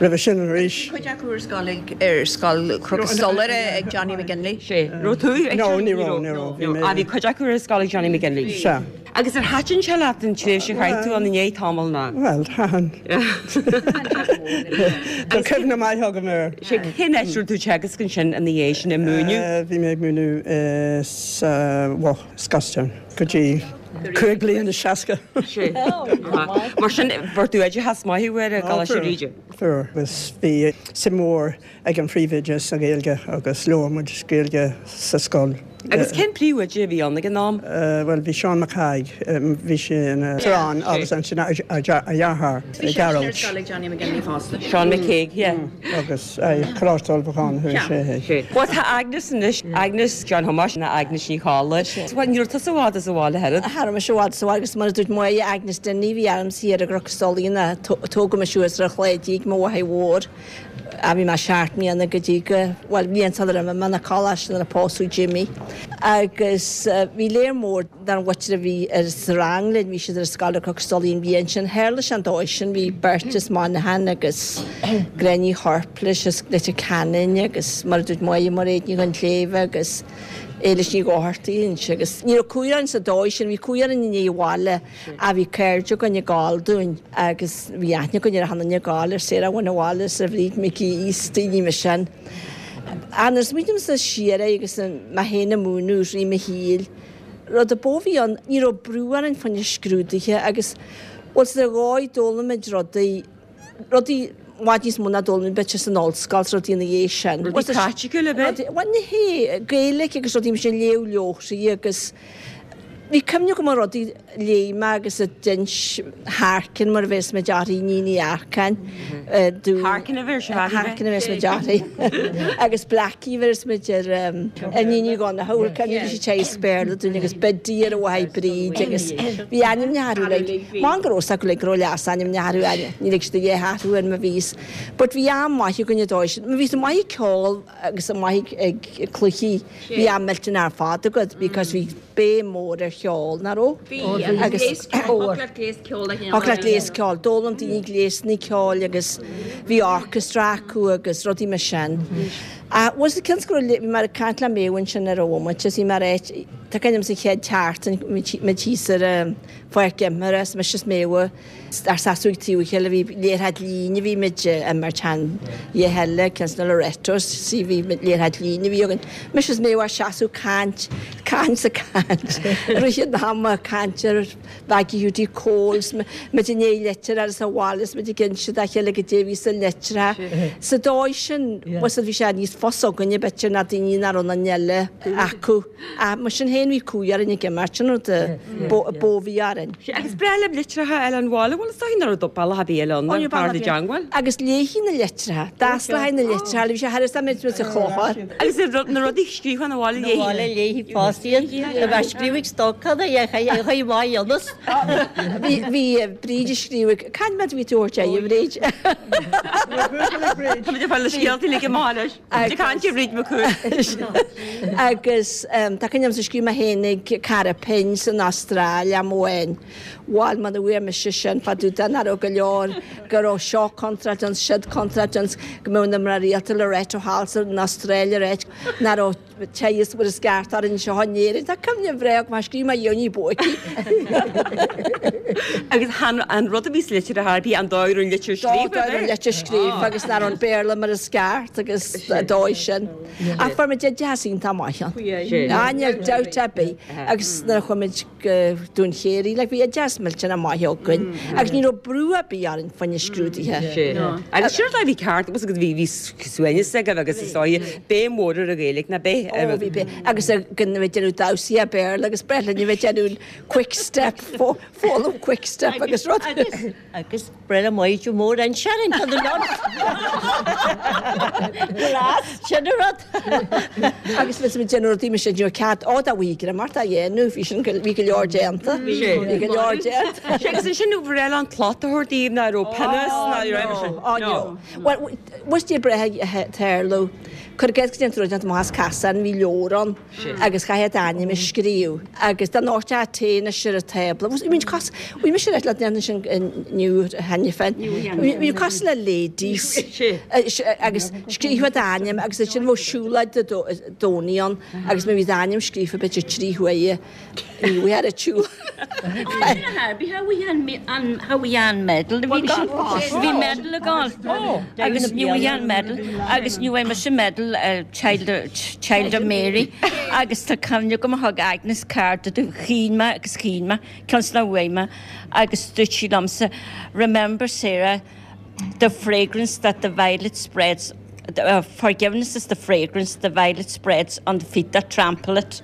roimhe sin arís. Bhí cuid acu ar scoil ag, ar scoil Chnoc an Stolaire ag Johnny McGinley. Sé. Raibh tú ag No, ní raibh, ní raibh. Bhí mé. Ah, bhí cuid acu ar scoil ag Johnny McGinley. Sea. Agus ar thaitin sé leat an tréimhse a chaith tú ann i ndiaidh tamaill ná? Bhuel, thaitin. Tá cuimhne maith agam air. Sé, cén áit a raibh tú ag teagasc ansin ina dhiaidh sin, ag múineadh? Bhí mé ag múineadh sa Bhoth, Scotstown, go dtí 5 bliana 60. Sé. Mar sin, fuair tú oideachas maith uair i gColáiste Bhríde? Fuair, agus bhí suim mhór ag an phríomhoide sa Ghaeilge agus labhair muid Gaeilge sa scoil. Agus cén príomhoide a bhí ann ag an am? Bhuel, bhí Seán Mac Thaidhg, bhí sé ina uachtarán agus ansin a dheartháir, Gearóid. Seán McCague, yeah. Agus Coláiste Ullmhúcháin a chuaigh sé. Bhuel, tá Agnes anois, Agnes John Thomáis ná Agnes Ní Cholla. Bhuel, ní raibh tusa i bhfad as an bhaile oiread. Cha raibh mise i bhfad as an bhaile agus mar a dúirt Máire, Agnes Denny a bhí ormsa thiar i gCnoc an Stolaire, tógadh mé suas ar an Chladaigh ag mo mháthair mhór. a bhí mé seacht mbliana go dtí go, bhuel, bliain sular imigh mé 'na coláiste nuair a pósadh Jimmy. Agus bhí léar mór den mhuintir a bhí ar sa rang linn, bhí siad ar scoil ar Chnoc an Stolaire an bhliain sin. Tharla sé an dóigh sin, bhí beirt as Muineachán agus Gráinne Uí Chorpléis as Leitir Ceanainn agus mar a dúirt Máire, Mairéad Ní Dhuinnshléibhe agus Éilis Ní Dhochartaigh ansin agus ní raibh cumhaidh orainn sa dóigh sin, bhí cumhaidh orainn i ndiaidh an bhaile. Ach bhí cairde againn ag gabháil dúinn agus bhí aithne againn ar achan duine ag gabháil, ar Sarah Bhain Abhaile is ar Bhríd McGee is daoine mar sin. Ach nuair a smaoinímse siar air agus mé féin ag múineadh i rith mo shaoil, rud a ba mhó a bhí ann, ní raibh brú orainn fá choinne scrúduithe agus bhuel sa dhóigh d'fhoghlaim muid rudaí, rudaí i bhfad níos mó ná d'fhoghlaim muid b'fhéidir san ollscoil is rudaí ina dhiaidh sin. Rudaí praiticiúla, ab ea? Bhuel, ní hé, Gaeilge agus rudaí mar sin, léamh leabharthaí agus. Bhí cuimhne agam ar rudaí a léigh mé agus a d'inis Harkin mar a bhéas muid uirthi, Iníon Uí Earcáin, dúinn. Harkin a bheir sé Harkin a bhéas muid uirthi. Agus Blackie a bhéas muid ar Iníon Uí Dhonncha, bhfuil cuimhne bhí sí ag Béarla dúinn agus Biddy ar a mháthair Bríd agus bhí ainmneacha orthu like, man go raibh 's acu like go raibh leasainmneacha orthu, ní lig siad a dhath athrú ar má bhíos. But bhí am maith againn an dóigh sin. Má bhí tú maith ag ceol agus maith ag cluichí, bhí am millteanach ar fad agat because bhí béim mór ar cheol, nach raibh? Bhí, agus gléas ceoil, thiocfadh leat gléas ceoil a Thiocfadh leat gléas ceoil, d'fhoghlaim daoine gléasanna ceoil agus bhí orchestra acu agus rudaí mar sin. Ach was cionn is go raibh, bhí mé ag caint le Méabh ansin ar an bhomaite is bhí mé ar áit, tá cuimhne agam sa chéad tseachtain, muid thíos ar an pháirc imeartha is mise is Méabh ár seasamh ag taobh a chéile bhí liathróid líne a bhí muid ag imirt chan a dhath eile cionn is na Lorettos sí bhí liathróid líne a bhí againn. Mise is Méabh ár seasamh caint, caint 's ag caint. Rith an ama caint ar Mhaggie Hiúdaí Cóil 's muid i ndiaidh litir a fháil as an bhaile is muid ag inse dá chéile goidé a bhí sa litreacha. Sa dóigh sin, bhfuil bhí sé níos fusa againne b'fhéidir ná daoine nach raibh na eile acu. Ach mar sin féin bhí cumhaidh orainn ag imirt, sin rud a ba bhí orainn. Sea, agus breá libh litreacha a fháil ón bhaile, bhuel is dóigh nach raibh bealach ar bith eile ann ach fear na dteangmháil. Agus léithí na litreacha, d'fhosclaíthí na litreacha, bhí sé thar is dá mbeadh muid sa chlochar. Agus na rudaí scríofa 'na bhaile léithí. Na bhaile léithí fosta iad, dá mbeadh scríobh ag stocáil a chuir maith ionas. Bhí Bríd ag scríobh, cá mhéad a bhí tú a thabhairt air, a Bhríd? Tá muid ag fáil na scéalta uilig amach anois. Ag caint ar Bhríd McCool. Agus tá cuimhne agam scríobh mé féin ag cara pinn san Astráil am amháin. Bhail muna bhfuair mise sin fá dtaobh de nach raibh go leor, go raibh seo contráilte ann, siúd contráilte ann, go mbeadh na mná rialta Loreto thall san Astráil ar áit nach raibh teaghais mar is ceart orainn anseo in Éirinn. Tá cuimhne bhreá agam, scríobh mé dhéanaí buaicí. Agus chan an rud a bhí sa litir ar chor ar bith, an dóigh a raibh an litir scríofa, Dóigh a raibh an litir scríofa agus nach raibh an Béarla mar is ceart agus an dóigh sin. Ach fuair muid oideachas iontach maith ann. Níl dabht ar bith. Agus nuair a chuaigh muid go Dún Chéirí, like, bhí oideachas millteanach maith againn agus ní raibh brú ar bith orainn fá choinne scrúduithe. Agus sin rud a bhí ceart agus bhí bhí suaimhneas agaibh agus is dóigh béim mhór ar an Ghaeilge ná bith. Ó bhí béim agus go bhí déanamh damhsaí a Béarla agus breith linn a bheith déanamh quick step, foghlaim quick step agus rud. Agus breith le Maighdin Mhór an Sharon tá na lon. Glas, sin an rud. Agus bhí muid déanamh rudaí mise ní raibh cead ó dá bhí mar tá dhéanamh bhí sin bhí go leor déanta. Bhí go leor déanta. Sé agus ansin nó bhreith an plot a thabhairt daoibh ná raibh pionós ná raibh sin. Ó no. Well, was dé breith tarlú. Cuir i gcás go ndéantar rud déanta amach as casán, bhí leabhar ann agus chaithfeá d'ainm a scríobh agus dá ndóirteá tae anois ar an tábla. Bhí muid cos, bhí mise le déanamh sin inniu cheana féin. Bhí cosúil le ladies agus scríobhfá d'ainm agus ansin bheadh siúlóid Dé Domhnaigh ann agus má bhí d'ainm scríofa b'fhéidir 3 huaire Ní bhfuair a tsiúl. Bhí an medal a bhí gall. Bhí medal ag gall. Agus ní bhí an medal agus ní bhfuair mise medal Child Child of Mary agus tá cuimhne agam a thug Agnes cárta domh chaoin mé agus chaoin mé cionn is nach bhfuair mé agus dúirt sí liomsa remember Sarah the fragrance that the violet spreads Forgiveness is the fragrance the violet spreads on the feet that trample it.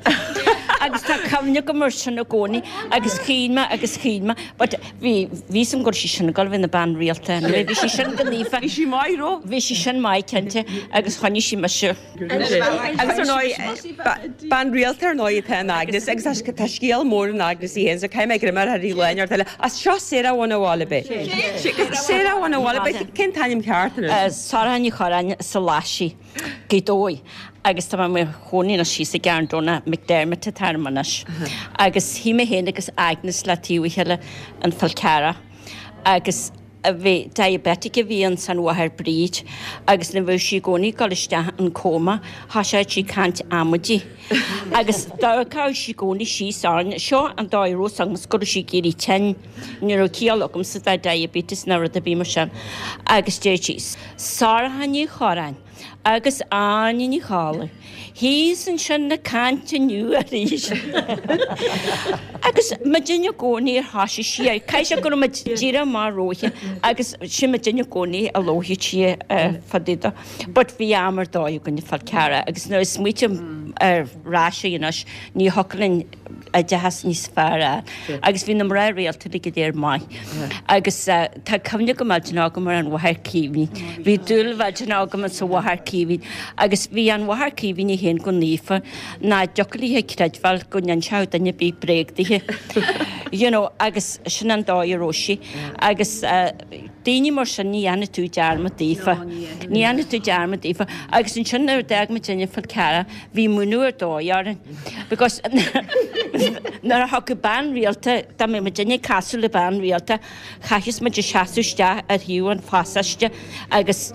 Agus tá cuimhne agam air sin i gcónaí agus chaoin mé agus chaoin mé but bhí bhí 'fhios a'm go raibh sí sin ag dul a bheith ina bean rialta anyway bhí sí sin go naofa. Bhí sí maith raibh? Bhí sí sin maith cinnte agus choinnigh sí mise. Agus ar ndóigh, bean rialta ar ndóigh atá in Agnes agus tá scéal mór in Agnes í féin so caithfidh mé greim a chur uirthi lá inteacht eile. As seo Sarah Bhun a' Bhaile ab ea? Sarah Bhun a' Bhaile ab ea? Cén t-ainm ceart anois? Sorcha Ní Chorráin sa Laisigh, Gaoth Dobhair agus tá mé i mo chónaí anois thíos i gCarn Domhnach, McDermott atá orm anois. Agus shuigh mé féin agus Agnes le taobh a chéile in Fál Carrach agus bhí diabetic a bhí ins an mháthair Bríd agus nuair a bheadh sí i gcónaí ag dul isteach in coma thoiseodh sí ag caint amaidí agus d'amharcadh sí i gcónaí síos orainn. Seo an dóigh a raibh 'fhios agamsa go raibh sí ag éirí tinn. Ní raibh ciall agamsa de diabetes ná rud ar bith mar sin agus deir sí, Sorcha Ní Chorráin agus Áine Ní Chollaigh thíos ansin ag caint inniu arís. Agus muidinne i gcónaí ar thoisigh sí air, caithfidh sé go raibh muid díreach amach roimpi agus sin muidinne i gcónaí a labharfadh sí fá dtaobh de. But bhí am ar dóigh againn i Fál Carrach agus nuair a smaoitím ar ais anois ní thiocfadh linn. oideachas níos fearr a fháil agus bhí na mná rialta uilig go léir maith agus tá cuimhne go millteanach agam ar an Mháthair Caoimhín. Bhí dúil mhillteanach agam sa Mháthair Caoimhín agus bhí an Mháthair Caoimhín í féin chomh naofa nach dtiocfadh léi creidbheáil go n-inseodh duine ar bith bréag dithe you know agus sin an dóigh a raibh sí agus daoine mar sin ní dhéanfaidh tú dearmad daofa. Ní dhéanfaidh tú dearmad daofa agus ansin nuair a d'fhág muid an Fál Carrach bhí múineadh ar dóigh orainn because nuair a thiocfadh bean rialta, dá mbeadh muidinne ag casadh le bean rialta, chaithfeadh muid a seasamh isteach ar thaobh an phasáiste agus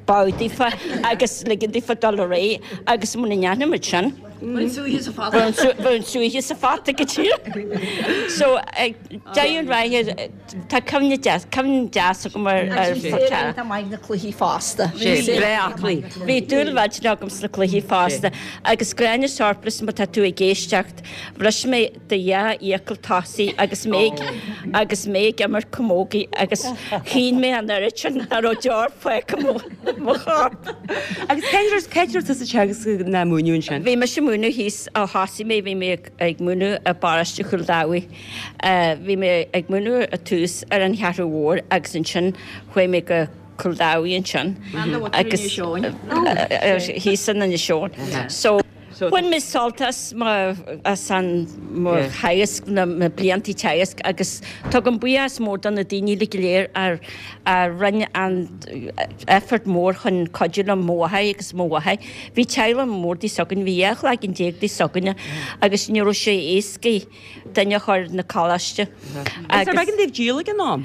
bow daofa agus ligean daofa dul ar aghaidh agus muna ndéanfadh muid sin, bheadh an súiche sa phota go díreach. So, deireadh an ráithe, Tá cuimhne deas, cuimhne deas agam ar ar Fál Carrach. Tá maith na cluichí fosta. Sé, breá aclaí. Bhí dúil mhillteanach agam sna cluichí fosta. Agus Gráinne Sharpless, má tá tú ag éisteacht, bhris mé do dhá fhiacail tosaigh agus mé ag, agus mé ag imirt camógaí agus chaoin mé an oiread sin nach raibh deoir fágtha i mo, mo chorp. Agus cá raibh, cá raibh tusa ag teagasc ná múineadh ansin? Bhí mise ag múineadh thíos ó thosaigh mé, bhí mé ag, ag múineadh i bparóiste Chúil Dhamhaidh. Bhí mé ag múineadh ar tús ar an Cheathrú Mhór agus ansin chuaigh mé go Cúl Dabhaigh ansin agus thíos in Inis Eoghain. So bhain mé sult as mo as an mo theagasc na na blianta teagasc agus tugaim buíochas mór do na daoine uilig go léir a a rinne an effort mór chun cuidiú liom mo mháthair agus mo mháthair. Bhí teaghlach mór daoibh s'againn, bhí 12 chlaiginn daoibh s'againne agus ní raibh sé éasca duine a chur 'na coláiste. Agus arbh éigean daoibh díol ag an am?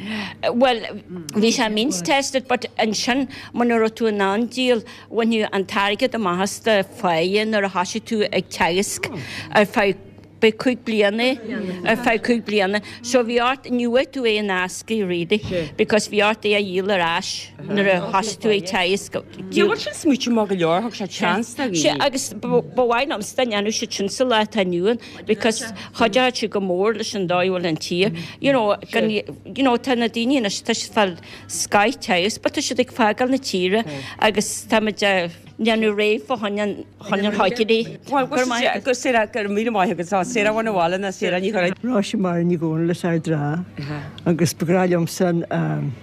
Bhuel, bhí sé means tested but ansin muna raibh tú in ann díol, bhainfeadh an t-airgead amach as do pháighe nuair a thosaigh tú ag teagasc ar feadh b'é 5 bliana é, ar feadh 5 bliana. So bhí ort, ní bhfuair tú é in aisce really because bhí ort é a dhíol ar ais nuair a thosaigh tú ag teagasc. Bhuel sin smaoitiú maith go leor, thug sé chance do dhaoine. Agus ba mhaith liomsa dá ndéanfadh siad sin sa lá atá inniu ann because chuideodh sé go mór leis an dóigh a bhfuil an tír. You know, gan, you know, tá na daoine anois, tá siad ag fáil scoth teagasc but tá siad ag fágáil na tíre agus tá muid ag déanamh réidh fá choinne an, choinne an choigirí. Bhuel, go raibh maith agat, Sarah, go raibh míle maith agat, Sarah Bhain Abhaile ná Sarah Ní Churráin. Róise Máire Ní Dhomhnaill as Ard an Rátha agus ba ghnách liomsa an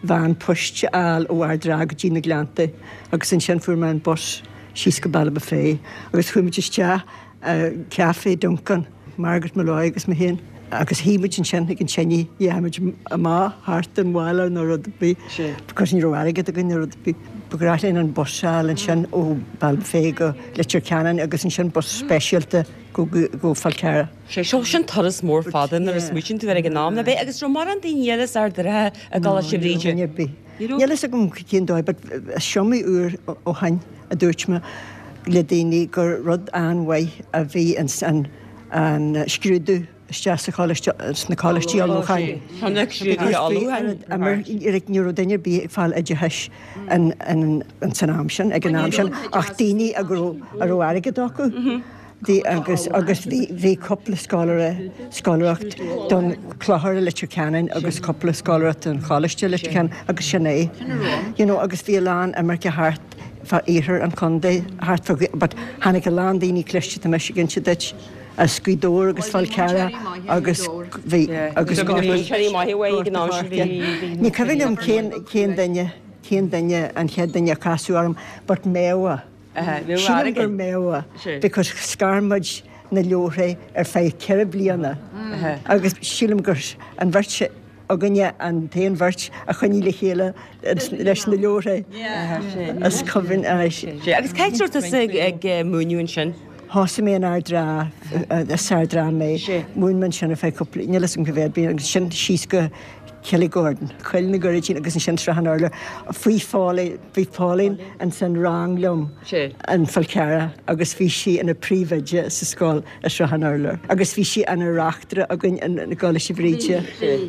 veain poist a fháil ó Ard an Rátha go dtí na Gleannta agus ansin fuair mé an bus síos go Ballybofey agus chuaigh muid isteach i Café Duncan, Margaret Molloy agus mé féin agus shuigh muid ansin ag an tine, dheachaigh muid amach thart an bhaile nó rud ar bith because ní raibh airgead againn nó rud ar bith. Ba ghnách linn an bus a fháil ansin ó Ballybofey go Leitir Ceanainn agus ansin bus speisialta go go Fál Carrach. Sé seo sin turas mór fada nuair a smaoitíonn tú air ag an am, ná b'é? Agus raibh mórán daoine eile as Ard an Rátha i gColáiste Bhríde? Ní raibh. Níl fhios agam cén dóigh but is iomaí uair ó shoin a dúirt mé le daoine gur rud an-mhaith a bhí ins an an scrúdú isteach sa choláiste, sna coláistí ullmhúcháin. Ní raibh duine ar bith ag fáil oideachais ins an am sin, ag an am sin, ach daoine a raibh a raibh airgead acu. Bhí agus agus bhí bhí cúpla scoláire scoláireacht don Clochar i Leitir Ceanainn agus cúpla scoláireacht don Choláiste i Leitir Ceanainn agus sin é. You know agus bhí a lán imirce thart fá iarthar an chontae thart fá but tháinig a lán daoine cliste tá mise ag inse duit as Gaoth Dobhair agus Fál Carrach agus bhí agus Ní cuimhin liom cén cén duine cén duine an chéad duine a casadh orm but Méabha. Sílim gur Méabha because scar muid na leabharthaí ar feadh 4 bliana agus sílim gur an bheirt againne an t-aon bheirt a choinnigh le chéile leis na leabharthaí. Is cuimhin é. Agus cá háit a raibh tusa ag múineadh ansin? Thosaigh mé in Ard an Rátha, as Ard an Rátha mé. Mhúin mé ansin ar feadh cúpla, níl fhios agam cá mhéad bliain agus ansin síos go Killygordon, Coill na gCuiridín agus ansin Srath an Urláir. Bhí Pauline, bhí Pauline ins an rang liom in Fál Carrach agus bhí sí ina príomhoide sa scoil i Srath an Urláir agus bhí sí ina reachtaire againn i gColáiste Bhríde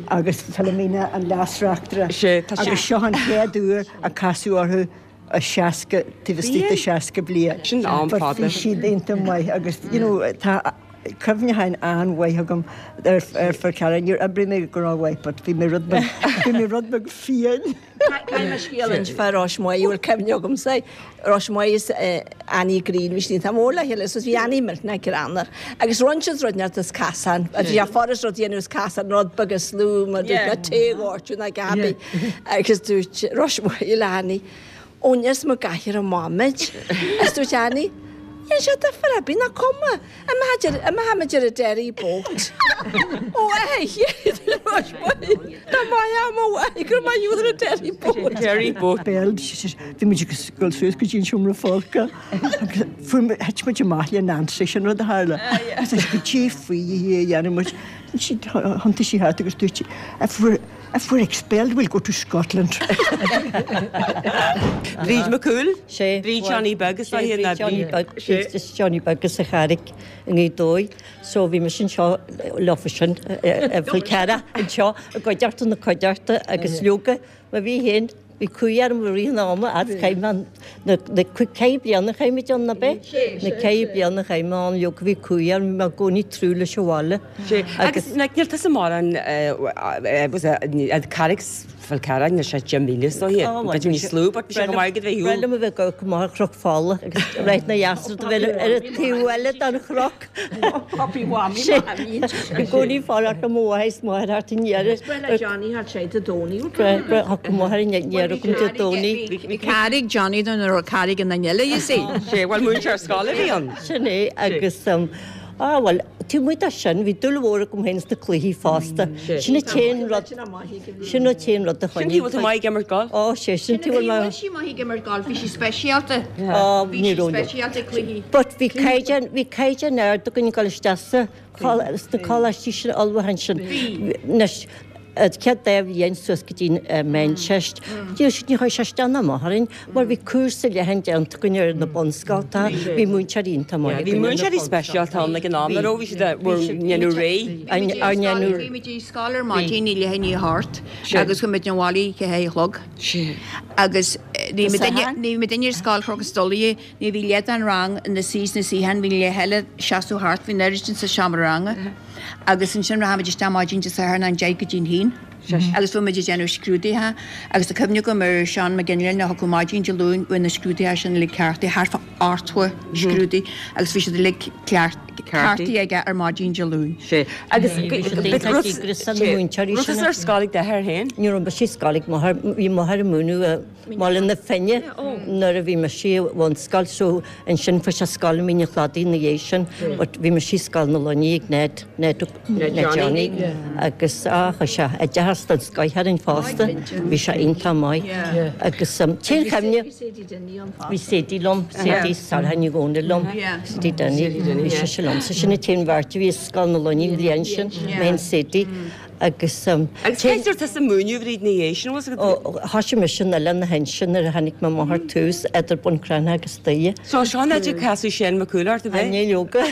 agus Philomena an leas-reachtaire agus seo an chéad uair a casadh orthu i 60, taobh istigh de 60 bliain. Sin am But fada. bhí siad iontach maith agus you know tá. Cuimhneacháin an-mhaith agam ar Fhál Carrach. Níor oibrigh mé go rómhaith but bhí mé rud beag, bhí mé rud beag fiáin. Caithfidh mé scéal a inse fá Ros Muaidh, a bhfuil cuimhne agamsa. Ros Muaidh is Annie Green, bhí siad iontach mór le chéile, so bhí Annie millteanach greannmhar. Agus rinne siad rud inteacht as casán, bhí sé furast rud a dhéanamh as casán, rud beag is lú mar dúirt mé tae a dhoirteadh ná Gabi. Agus dúirt Ros Muaidh le Annie, Ó níos mo gcathaoir amach muid. Is dúirt Annie, Níl sé difear ar bith, nach cuma. Imímid ar an derry boat. Ó Dá mbeadh mo mhaith go raibh maith agat ar an derry boat. Derry boat. Bhuel, bhí muid ag dul suas go dtí an seomra folctha agus fuair muid, thit muid amach le Nancy, sin rud a tharla. Agus goidé faoi a dhéanfaidh muid. Thiontaigh sí thart agus dúirt sí, if we're, if we're expelled we'll go to Scotland. Bríd McCool? Sé. Bríd Johnny Beag is dóiche ná Bríd Johnny Beag, Bríd Johnny Beag as an Charraig i nGaoth Dobhair. So bhí mise anseo leofa sin i bhFál Carrach anseo i gcuideachta na cuideachta agus leoga má bhí féin bhí cumhaidh orm i rith an ama as chaith mé na ceithre bliana a chaith muid ann ab ea? Na ceithre bliana a chaith mé ann leoga bhí cumhaidh orm bhí mé i gcónaí ag tnúth leis an bhaile. Agus níl tusa mórán an Carraig Fál Carrach níl sé 10,000 is dóiche. B'fhéidir níos lú but bhí sé go maith agat bheith Breá liom a bheith ag amharc amach ar Chnoc Fola agus Ráth na Dheasra do bheith ar an taobh eile den chnoc. Puppy Mhammy Mhammy. I gcónaí fanacht le mo mháthair is máthair thart i ndeireadh. Is breá le Johnny thart sé Dé Domhnaigh. Breá go máthair i ndeireadh agam Dé Domhnaigh. Bhí cara ag Johnny nó raibh cara ag an duine eile you see. Sé bhuel múinteoir scoile a bhí ann. Sin é agus ah bhuel taobh amuigh de sin bhí dúil mhór agam féin sna cluichí fosta. Sin an t-aon rud Sin an t-aon rud a choinnigh. Sin taobh tú maith ag imirt golf? Ó, sé, sin taobh bhfuil mé. sí maith ag imirt golf, bhí sí speisialta. Ó, Bhí ní sí raibh. speisialta ag cluichí. But bhí caighdeán, bhí caighdeán ard againn ag dul isteach sa, sna coláistí sin ullmhúcháin sin. Bhí. Anois, an chéad dá bhliain suas go dtí an Meánteist, ní raibh, ní chuaigh sé isteach ná amach orainn mar bhí cúrsa leathan déanta againn ar na bunscoltacha, bhí múinteoirí iontach maith Bhí againn ar na múinteoirí speisialta ann ag an am, nach raibh? Bhí siad ag déanamh réidh. Ár ndéanamh. Bhí muid i scoil ar maidin i leath i ndiaidh a hocht agus chuaigh muid abhaile ag a sé a chlog. Agus ní bhí muidinne ar scoil Chnoc an Stolaire, ní bhí leath den rang ina suí sna suíocháin, bhí leath eile seasamh thart, bhí an oiread sin sa seomra ranga. Agus ansin rachaidh muid isteach maidin Dé Sathairn ón deich go dtí'n haon. Agus bhí muid ag déanamh scrúduithe agus tá cuimhne agam ar Seán Mac Fhionnghaile a thiocfadh maidin Dé Luain bhí na scrúduithe sin uilig ceartaithe, thart fá 80 scrúdú agus bhí siad uilig ceartaithe aige ar maidin Dé Luain. Sea. Agus raibh tusa ar scoil ag d'athair féin? Ní raibh mise ar scoil ag m'athair, bhí m'athair ag múineadh i mBaile na Finne nuair a bhí mise i bhunscoil so ansin fuair sé scoil i Mín an Chladaigh ina dhiaidh sin but bhí mise i Scoil na Luiní ag Ned, Ned, Ned Johnny agus á chuir sé oideachas den scoith orainn fosta, bhí sé iontach maith agus t-aon chuimhne, bhí Sadie liom, Sadie Sarah Ní Dhomhnaill liom, Sadie Denny, bhí sise liomsa, sin an t-aon bheirt a bhí i Scoil na Luiní an bhliain sin, mé and Sadie. Agus Agus cé dúirt tusa múineadh Bhríd ina dhiaidh sin, bhfuil 's agat? Ó, thoisigh mise in Oileán na hInse nuair a tháinig mo mháthair tús idir Bun Cranncha agus Doire. So seo an áit a casadh Shane Mac Cumhaill ort, ab ea? Ní leoga.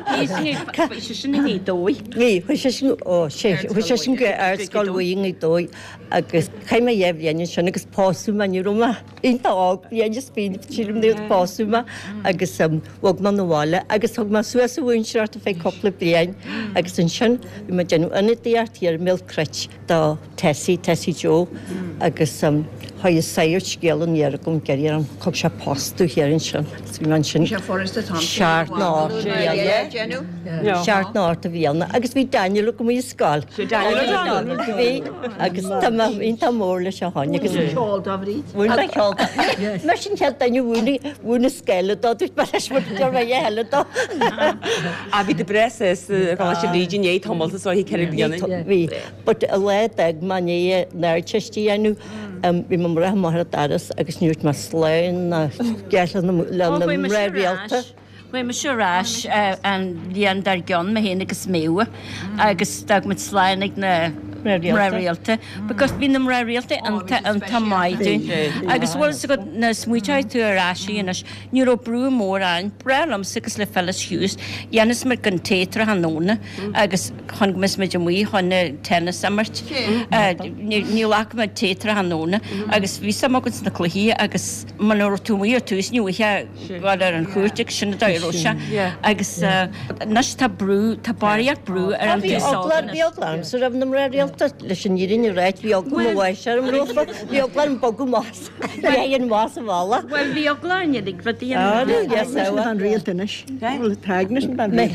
Bhí seisean i nGaoth Dobhair. Bhí, chuaigh seisean, ó, sé, chuaigh seisean go Ardscoil Mhuire i nGaoth Dobhair agus chaith mé dhá bhliain ansin agus pósadh mé, ní raibh mé iontach óg, bliain is fiche, sílim nuair a pósadh mé agus bhog mé 'na bhaile agus thug mé suas an mhúinteoireacht ar feadh cúpla bliain agus ansin bhí mé ag déanamh ionadaíocht thiar i mBéal Cruit do Tessie, Tessie Joe agus chuaigh an sagart scéal aniar agam ag iarraidh orm, thug sé post domh thiar ansin agus bhí mé ansin seacht nó ocht mbliana, seacht nó ocht mbliana agus bhí Daniel agam i scoil. Daniel O'Donnell. Bhí agus tá mé iontach mór leis ó shoin agus Mhúin ceol dó Bhríd. Mhúin mé ceol dó. Mar sin chéad duine a mhúin mhúin an scoil dó dúirt mé leis mar deir mé a thuilleadh dó. Ah bhí tú breá sásta a Choláiste Bhríde i ndiaidh tamalt is dóiche 4 bliana. Bhí but an lá a d'fhág mé i ndiaidh an Ardteist a dhéanamh bhí mé ag rith amach ar an doras agus ní dúirt mé slán ná geall le na mná rialta. Chuaigh mise ar ais an bhliain dár gcionn, mé féin agus Méabh, agus d'fhág muid slán ag na Mná rialta. Because bhí na mná rialta iontach iontach maith dúinn. Agus bhfuil fhios agat nuair a smaointeoidh tú ar ais anois, ní raibh brú mór ann. Breá liomsa agus le Phyllis Hughes, dhéanas muid an tae tráthnóna agus chun go mbeadh muid amuigh chun tennis a imirt. Ní ghlac muid tae tráthnóna agus bhí suim againn sna cluichí agus muna raibh tú amuigh ar tús ní bhfaighfeá dhul ar an chúirt agus sin an dóigh a raibh sé. Agus anois tá brú, tá barraíocht brú ar an Bhí taos óg eagla, anois. bhí eagla ormsa roimh na mná rialta, leis an fhírinne a ráit, bhí eagla mo bháis orm rompu, bhí eagla orm bogadh amach as, bheith amach sa bhaile. Bhuel, bhí eagla orainn uilig rudaí Ah, an. no, yes, Agnes na ban rialta anois. Bhuel, tá Agnes na ban rialta.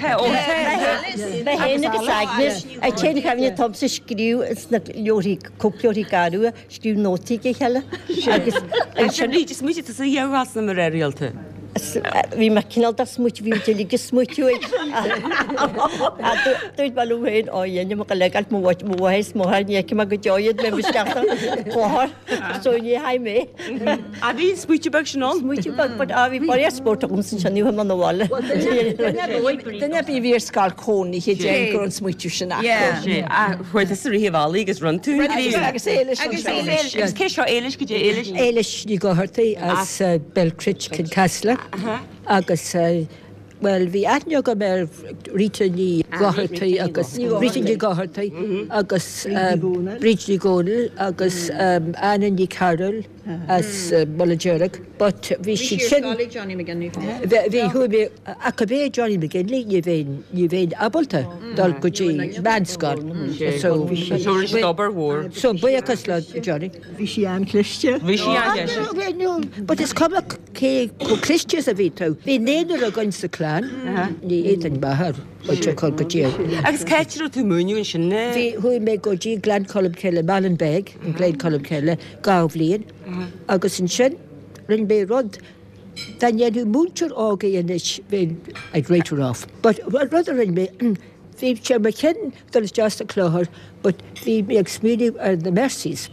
Mé féin agus Agnes, an t-aon chuimhne atá agamsa scríobh sna leabharthaí, cóipleabharthaí garbha, scríobh nótaí ag a chéile agus ansin. Bríd, is smaointigh tusa a ghabháil sna mná rialta. Bhí mé cineál de smaoitiú, bhí muid uilig ag smaoitiú ag Dúirt mé liom féin, ó dhéanfaidh mé go legal mo mháthair is mo mháthair ní fheicfidh mé go deo iad, beidh mé isteach sa clochar so ní fhaigh mé. Ah bhí an smaoitiú beag sin ann? Smaoitiú beag, but ah bhí barraíocht spóirt agamsa ansin, ní chuaigh mé 'na bhaile. Duine ar bith a bhí ar scoil cónaithe déarfainn go raibh an smaoitiú sin acu. Chuaigh tusa rith an bhealaigh agus rinn tú an gníomh. Agus Éilis Agus Éilis. Agus cé seo Éilis? Goidé Éilis? Éilis Ní Dhochartaigh as Belcrit, Kincasslagh agus bhuel bhí aithne agam ar Rita Ní Dhochartaigh agus Rita Ní Dhochartaigh agus Bríd Ní Dhomhnaill agus Anna Ní Chearúil as Mullach Dearg but bhí siad sin bhí chuaigh mé ach ab é Johnny McGinley ní bheinn ní bheinn ábalta dul go dtí meánscoil so So rinne siad obair mhór. so buíochas le Johnny. Bhí sí an-chliste. Bhí sí an-chliste. No, but is cuma cé chomh cliste is a bhí tú. Bhí naonúr againn sa chlann, ní fhéadfainn m'athair a chur go dtí. Agus cá háit a raibh tú ag múineadh ansin? Bhí, chuaigh mé go dtí Gleann Cholm Cille, Malin Beg, in Gleann Cholm Cille, dhá bhliain agus ansin rinne mé rud dá ndéanfadh múinteoir óg é anois bheinn, I'd write her off. But rud a rinne mé, bhí sé ar mo chinn dul isteach sa clochar but bhí mé ag smaoineamh ar na Mercies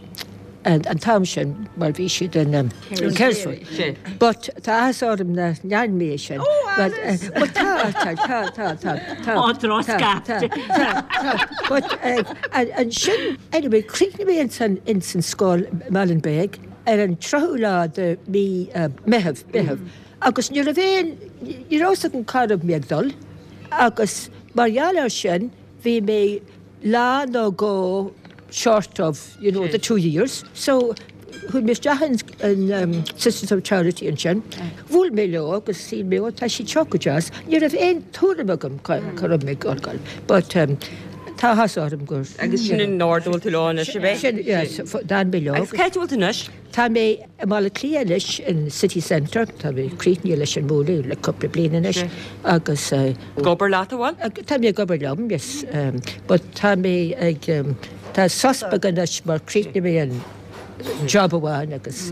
an t-am sin mar bhí siad in Carysfort. But tá áthas orm nach ndearna mé é sin. But but tá tá tá tá tá tá Ó, drochscaifte. tá tá but ansin anyway chríochnaigh mé ansan ins an scoil Malin Beg ar an 30ú lá de mí Meitheamh Meitheamh agus ní raibh aon ní raibh fhios agam cá raibh mé ag dul agus mar gheall air sin bhí mé lá nó dhó short of you know the 2 years so chuaigh mé isteach in in Sisters of Charity ansin bhuail mé leo agus shíl mé ó tá siad seo go deas ní raibh aon tuairim agam cá raibh mé ag dul but tá áthas orm gur Agus sin an ord a bhfuil tú leo anois ab é? Sin yes d'fhan mé leo. Agus cá háit a bhfuil tú anois? Tá mé i mBaile Átha Cliath anois in City Centre, tá mé críochnaithe leis an múineadh le cúpla bliain anois agus. Ag obair leat, an bhfuil? Tá mé ag obair liom, yes, but tá mé ag, tá sos beag anois mar chríochnaigh mé an job amháin agus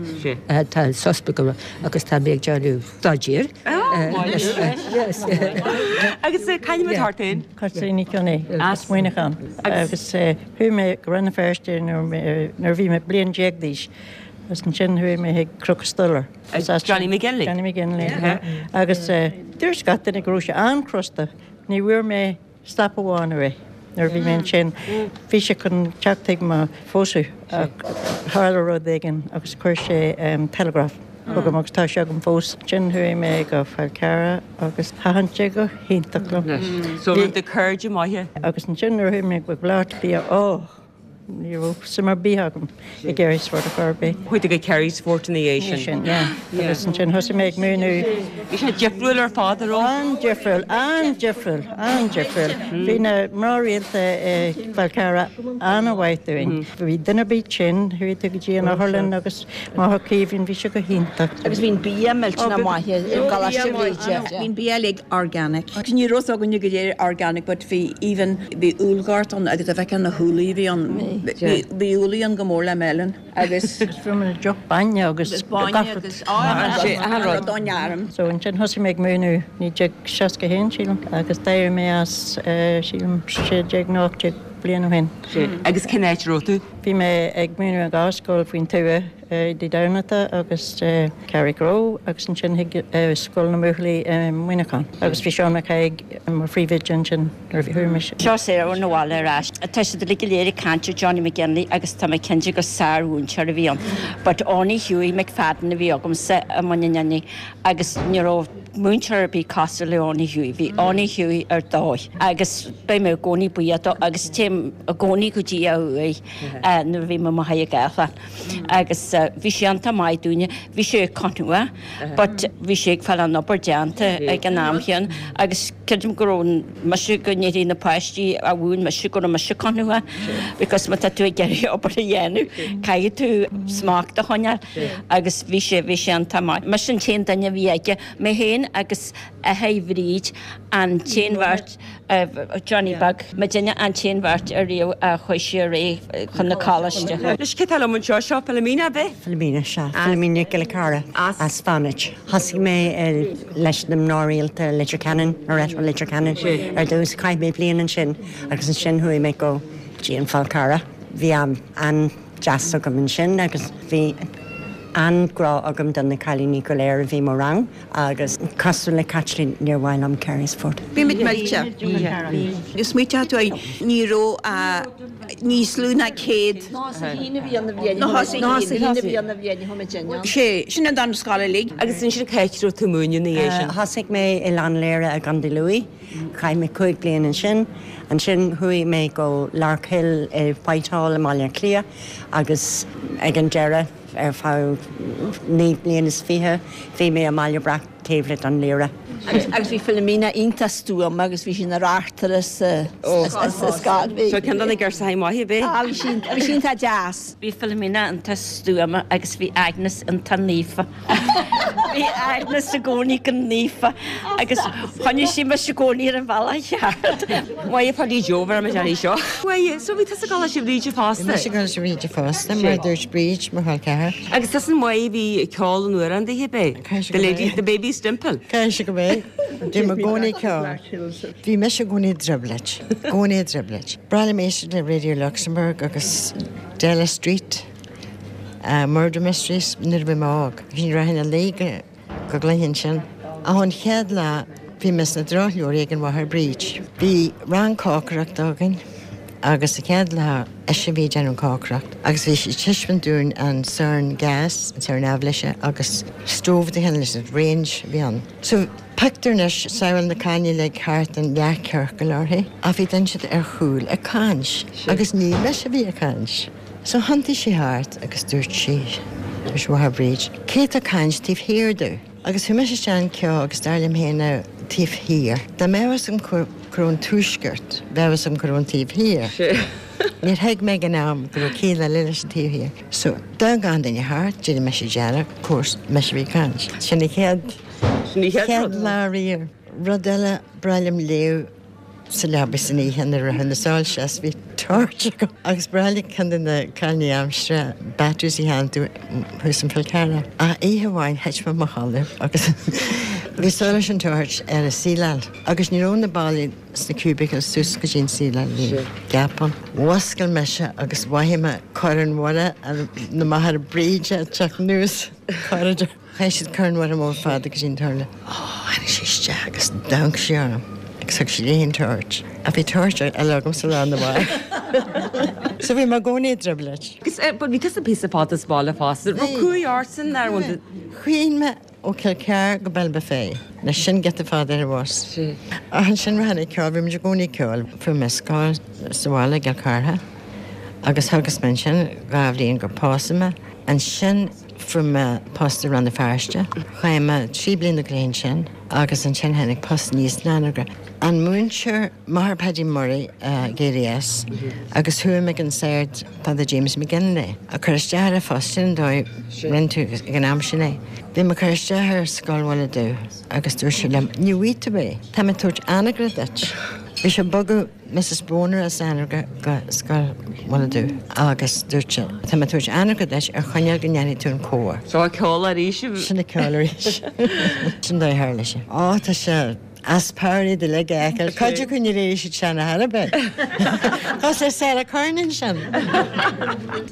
tá sos beag agus tá mé ag déanamh staidéir. Yes. Agus cá bhfuil tú féin? Caitríona Ní Chionnaith as Muineachán agus chuaigh mé go Rann na Feirste nuair a bhí mé bliain déag d'aois agus ansin chuaigh mé chuig Cnoc an Stollaire. Johnny McGinley. Johnny McGinley, agus dúirt gach duine go raibh sé an-chrosta. Ní bhfuair mé stop amháin uaidh nuair a bhí mé ansin. Bhí sé chun teacht chuig mo phósadh ach tharla rud éigin agus chuir sé telegraph chugam agus tá sé agam fós. Ansin chuaigh mé go Fál Carrach agus thaitin sé go hiontach liom. So raibh do cairde maithe. Agus ansin nuair a chuaigh mé go Baile Átha Cliath, oh! ní raibh suim ar bith agam i gCarysfort ar chor ar bith. Chuaigh tú go Carysfort ina dhiaidh sin. Sin, yeah. Agus ansin thosaigh mé ag múineadh. Bhí sé difriúil ar fad, an raibh? An-difriúil, an-difriúil, an-difriúil. Bhí na mná rialta i bhFál Carrach an-mhaith dúinn. Bhí duine ar bith tinn, chuaigh tú go dtí an otharlann agus Máthair Caoimhín, bhí sé go hiontach. Agus bhí an bia millteanach maith i gColáiste Bhríde. Bhí an bia uilig organic. Ní raibh fhios againne go léir organic but bhí even bhí úllghort ann agus dá bhfeicfeá na húllaí a bhí ann bhí úllaí ann go mór le melon agus. Agus fuair muid deoch bainne agus bainne agus achan rud ón fheirm. So ansin thosaigh mé ag múineadh 1961 sílim agus d'éirigh mé as sílim 16 nó 18 bliain ó shin. Agus cén áit a raibh tú? Bhí mé ag múineadh i dhá scoil faoin tuath, i Dé Domhnaigh agus Carrickroe agus ansin chuig Scoil na mBuachaillí i Muineachán agus bhí Seán Mac Thaidhg mar phríomhoide ansin nuair a chuaigh mise. Seo Sarah ón bhaile ar ais. Tá siad uilig go léir ag caint ar Johnny McGinley agus tá mé cinnte gur sár-mhúinteoir a bhí ann. But Owney Hughie McFadden a bhí agamsa i Muine Ninne agus ní raibh múinteoir ar bith cosúil le Owney Hughie. Bhí Owney Hughie ar dóigh agus beidh mé i gcónaí buíoch dó agus téim i gcónaí go dtí a uaigh nuair a bhím i Machaire Gathlán. Agus bhí sé iontach maith dúinne. Bhí sé conua but bhí sé ag fáil an obair déanta ag an am chéanna agus creidim go raibh mise go ndéarfaidh na páistí a mhúin mise go raibh mise conua because má tá tú ag iarraidh obair a dhéanamh caithfidh tú smacht a choinneáil agus bhí sé bhí sé iontach maith. Mise an t-aon duine a bhí aige, mé féin agus athair Bhríd an t-aon bheirt Johnny Beag, muidinne an t-aon bheirt ariamh a chuaigh sé ar aghaidh chun na coláiste. Anois cé atá liom anseo? Seo Philomena, ab ea? Philomena, sea. Philomena Giolla Cara as Fánaid. Thosaigh mé leis na mná rialta Leitir Ceanainn, Loreto Leitir Ceanainn ar dtús. Chaith mé bliain ansin agus ansin chuaigh mé go dtí an Fál Carrach. Bhí am an-deas agam ansin agus bhí an-grá agam do na cailíní go léir a bhí i mo rang. Agus cosúil le Caitlín, níor mhaith liom Carysfort. Bhí muid millte. Smaoiteoidh tú air, ní raibh ach níos lú ná 100. Nó sa haon a bhí ann an bhliain a chuaigh muid in ann. Sé, sin an dara scoil uilig. Agus ansin cá háit a raibh tú ag múineadh ina dhiaidh sin? Thosaigh mé i Lann Léire i gContae Lú. Chaith mé 5 bliana ansin. Ansin chuaigh mé go Larkhill i Whitehall i mBaile Átha Cliath agus ag an deireadh, Ar feadh 29 bliain bhí mé i mBaile Breac taobh le Dún Laoghaire. Agus bhí Philomena iontach stuama agus bhí sí ina reachtaire sa scoil. Bhí. Seo ceann de na girseachaí maithe, ab ea? Ah, bhí sí, bhí sí iontach deas. Bhí Philomena iontach stuama agus bhí Agnes iontach naofa. Bhí Agnes i gcónaí go naofa agus choinnigh sí mise i gcónaí ar an bhealach cheart. Mhaith Paddy Joe bheir muid uirthi seo. Mhaith, so bhí tusa ag Coláiste Bhríde fosta? Bhí mise ag Coláiste Bhríde fosta, mar a dúirt Bríd, mo chol ceathar. Agus tusa an Mhaith a bhí ag ceol an amhráin daoithe, ab ea? The lady, the baby's dimple. Caithfidh sé go mbeidh. Bhí mé i gcónaí ag ceol. Bhí mise i gcónaí i dtrioblóid. Gcónaí i dtrioblóid. B'bhreá liom éisteacht le Radio Luxembourg agus Della Street, Murder Mysteries nuair a bhí mé óg. Bhí rachainn a luí go go gcluinfinn sin. Ach an chéad lá bhí mé sna drochleabhraí ag an Mháthair Bríd. Bhí rang cócaireachta againn agus an chéad lá ise a bhí ag déanamh an cócaireacht agus bhí sí ag taispeáint dúinn an sorn gas, an sorn aibhléise agus stove de chineál is range a bhí ann. So pictiúr anois, samhail na cailíní uilig thart in leathchiorcal uirthi ach bhí duine inteacht ar chúl ag caint agus ní mise a bhí ag caint. So thiontaigh sí thart agus dúirt sí, dúirt Mháthair Bríd, cé tá ag caint taobh thiar domh? Agus chuaigh mise isteach an ceo agus dar liom féin now, taobh thiar. Dá mbeadh fhios agam cá raibh an tuaisceart, bheadh fhios agam cá raibh an taobh thiar. Níor thuig mé ag an am go raibh ciall eile leis an taobh thiar. So, d'amharc gach duine thart, d'éirigh mise dearg, of course, mise a bhí ag caint. Sin an chéad, chéad lá riamh. Rud eile, b'bhreá liom léamh. sa leaba san oíche nuair a raibh na soilse as bhí torch agam agus b'bhreá le ceann de na cailíní aimsire batteries a theanntú thuas an Fál Carrach. Ach oíche amháin thit mé i mo chodladh agus bhí solas an torch ar an ceileáil agus ní raibh na ballaí sna cubicles suas go dtí an ceileáil, bhí gap ann. Mhuscail mise agus mhothaigh mé Corn Mhuire na Máthar Bríde ag teacht anuas an corridor. Chaith siad Corn Mhuire mór fada go dtí an turlár. Ó, tháinig sí isteach agus d'amharc sí orm agus thug sí léi an torch. Ach bhí torch eile agamsa lá arna mhárach. So bhí mé i gcónaí i dtrioblóid. Agus but bhí tusa píosa fada sa bhaile fosta. Raibh cumhaidh ortsa an bhfuil? Chuaigh mé ó Cill Chartha go Ballybofey. Anois sin giota fada ar an bhus. Ach ansin rachainn ag ceol, bhí muid i gcónaí ag ceol. Fuair mé scoil sa bhaile i gCill Chartha agus theagasc mé ansin dhá bhliain gur pósadh mé. Ansin Fuair mé post i Rann na Feirste. Chaith mé 3 bliana go leith ansin agus ansin tháinig post aníos in Anagaire. An múinteoir, Máthair Paddy Murray ag éirí as agus chuaigh mé ag an Sagart Father James McGinley ag cur isteach ar an phost sin an dóigh rinne tú ag an am sin é. Bhí mé ag cur isteach ar Scoil Mhuire Dubh agus dúirt sé liom, ní bhfaighidh tú é, tá mé ag tabhairt Anagaire duit. Bhí sé ag bogadh. Mrs Boner as Anagaire go Scoil Mhuire Dubh agus dúirt sé, Tá mé ag tabhairt Anagaire duit ar choinníoll go ndéanfaidh tú an cór. Seo ceol arís. Sin an ceol arís. Sin dóigh a tharla sé. Ó, tá sé. As power iad uilig a fheiceáil. Cuid acu níor éirigh siad sean ar chor ar bith. Cosúil le Sarah Kernan sin.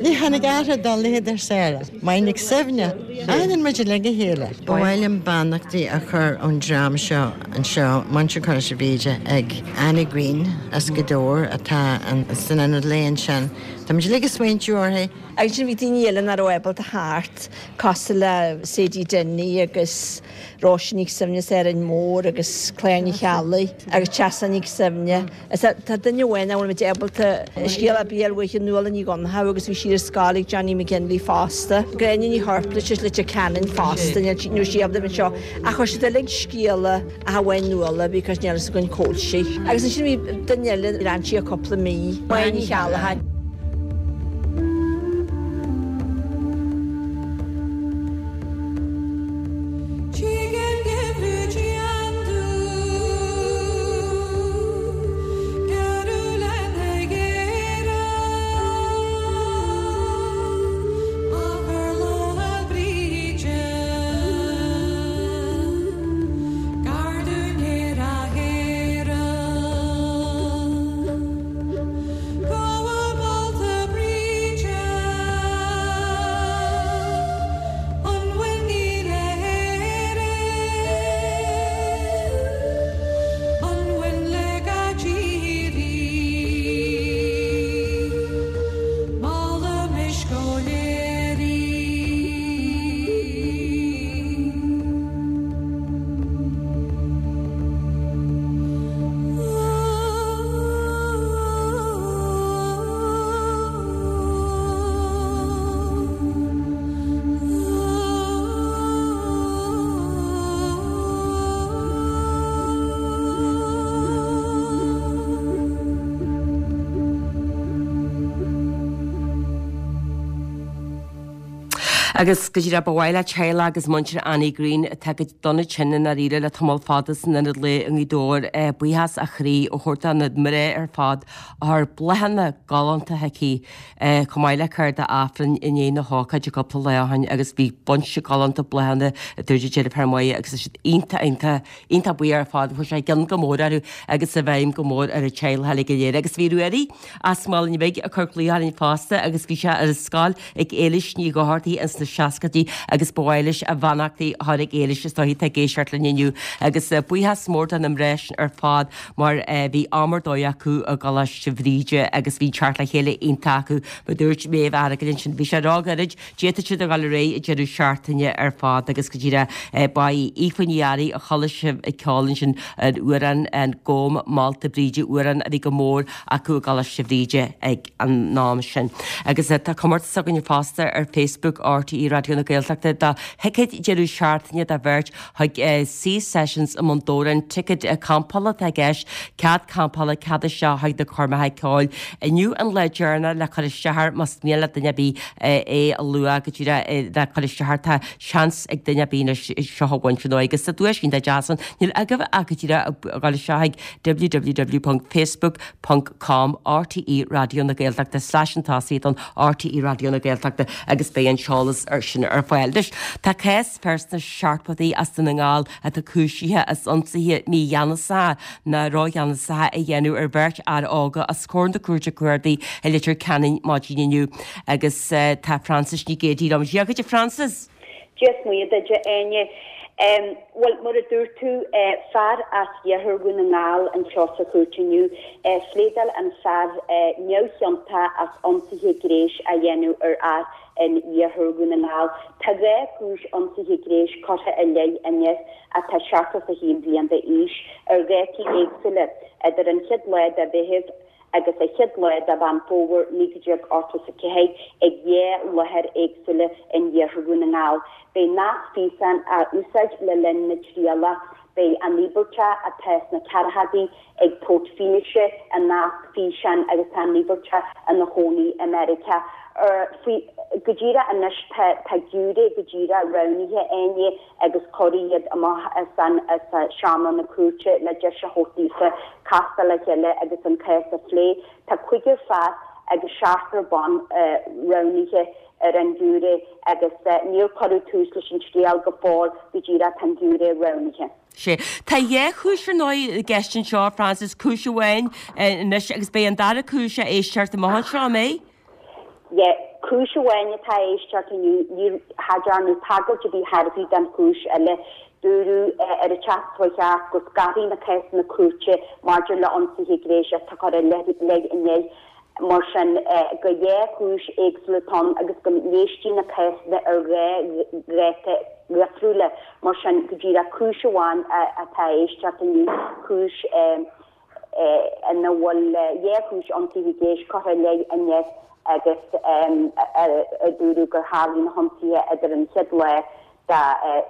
Ní tháinig athrú dá laghad ar Sarah. Máire Nic Suibhne. Aithníonn muid uilig a chéile. Ba mhaith liom beannachtaí a chur ón dream seo anseo, muintir Choláiste Bhríde, ag Annie Greene as Gaoth Dobhair atá san ionad lae ansin. Tá muid uilig ag smaointiú uirthi. Agus ansin bhí daoine eile nach raibh ábalta theacht, cosúil le Sadie Denny agus Róise Nic Suibhne as Árainn Mhór agus Claire Ní Cheallaigh agus Treasa Nic Suibhne. Is tá duine amháin nach bhfuil muid ábalta scéal ar bith a fháil uaithi, Nuala Ní Dhonnchadha agus bhí sí ar scoil ag Johnny McGinley fosta. Gráinne Ní Chorpla as Leitir Ceanainn fosta, níl sí ábalta bheith anseo ach chuir siad uilig scéala ach amháin Nuala because níl fhios againn cá bhfuil sí. Agus ansin bhí duine eile, d'fhan sí cúpla mí, Máire Ní Cheallacháin. Agus go díreach ba mhaith le teaghlach agus muintir Annie Greene, atá go dona tinn i ndáiríre le tamall fada san Ionad Lae i nGaoth Dobhair, buíochas ó chroí a thabhairt do na mná ar fad a chuir bláthanna galánta chuici chomh maith le cárta Aifrinn i ndiaidh na hócáide cúpla lá ó shin agus bhí bunch galánta bláthanna a dúirt a deirfiúr Máire agus tá siad iontach iontach iontach buíoch ar fad chuaigh sé i gcion go mór orthu agus i bhfeidhm go mór ar an teaghlach uilig go léir. Agus bhí Ruairí as Málainn Bhig ag cur glaoch orainn fosta agus bhí sé ar an scoil ag Éilis Ní Dhochartaigh ins na seascaidí agus ba mhaith leis a bheannachtaí a chur ag Éilis is dóichí atá ag éisteacht linn inniu agus buíochas mór do na mná sin ar fad mar bhí am ar dóigh acu i gColáiste Bhríde agus bhí teacht le chéile iontach acu. Mar a dúirt Méabh Fhearghail ansin, bhí sé róghairid, d'fhéadfadh siad a dhul ar aghaidh an deireadh seachtaine ar fad agus go díreach ba í Aoife Ní Fhearraigh a chuala sibh ag ceol ansin an amhrán an Gabhaim Málta Bríde, amhrán a bhí go mór acu i gColáiste Bhríde ag an am sin. Agus tá comórtas againne fosta ar Facebook RTÉ Raidió na Gaeltachta do thicéid deireadh seachtaine do bheirt chuig Sea Sessions i mBun Dobhráin. Ticéad campála atá i gceist, cead campála, cead isteach chuig na coirmeacha ceoil. Inniu an lá deireanach le cur isteach air más mian le duine ar bith é a lua go díreach le cur isteach air. Tá seans ag duine ar bith anois seo a bhaint amach agus tá duais iontach deas ann. Níl agaibh ach go díreach a dhul isteach chuig www.facebook. com RTÉ Raidió na Gaeltachta slash an tosaigh don RTÉ Raidió na Gaeltachta agus beidh an t-eolas ar sin ar fáil. Anois, tá cás fear sna seachtóidí as Dún na nGall atá cúisithe as ionsaithe mígheanasacha nó rógheanasacha a dhéanamh ar bheirt fhear óga os comhair na Cúirte Cuarda i Leitir Ceanainn maidin inniu agus tá Frances Nic Géadaigh liom. Dia dhuit a Frances! Dia is Muire duit, a Áine. Bhuel, mar a dúirt tú, fear as iarthar Dhún na nGall anseo sa chúirt inniu. Phléadáil an fear neamhchiontach as ionsaithe gnéis a dhéanamh ar fhear in iarthar Dhún na nGall. Tá 2 chúis ionsaithe gnéis curtha i leith an fhir, atá 71 bliain d'aois, ar dhátaí éagsúla idir an chéad lá de Mheitheamh agus an chéad lá de Mheán Fómhair 1984 ag 2 láthair éagsúla in iarthar Dhún na nGall. Beidh nasc físeáin á úsáid le linn na trialach. Beidh an t-íospartach atá sna ceathrachaidí ag tabhairt fianaise i nasc físeáin agus tá an t-íospartach ina chónaí i Meiriceá. Faoi go díreach anois tá tá giúiré go díreach roghnaithe Áine agus cuireadh iad amach as an as seomra na cúirte le deis a thabhairt daofa castáil le chéile agus an cás a phlé. Tá cúigear fear agus seachtar ban roghnaithe ar an ghiúiré agus níor cuireadh tús leis an triail go fóill go díreach tá an giúiré roghnaithe. Sea. Tá dhá chúis ar ndóigh i gceist anseo, Frances, cúis amháin anois agus beidh an dara cúis á éisteacht amach anseo, an mbeidh? Yeah, cúis amháin atá á éisteacht inniu, níor, cha dearnadh tagairt ar bith chor ar bith don chúis eile. Dúradh ar a 7.30 go scarfaí na cásanna cúirte maidir le ionsaithe gnéis atá curtha i leith inné. Mar sin, gur dhá chúis éagsúla atá ann agus go n-éistí na cásanna ar dhá dháta dhifriúla. Mar sin, go díreach cúis amháin atá á éisteacht inniu, cúis ina bhfuil dhá chúis ionsaithe gnéis curtha i leith inné agus a dúradh gur tharlaigh na hionsaithe idir an chéad lá de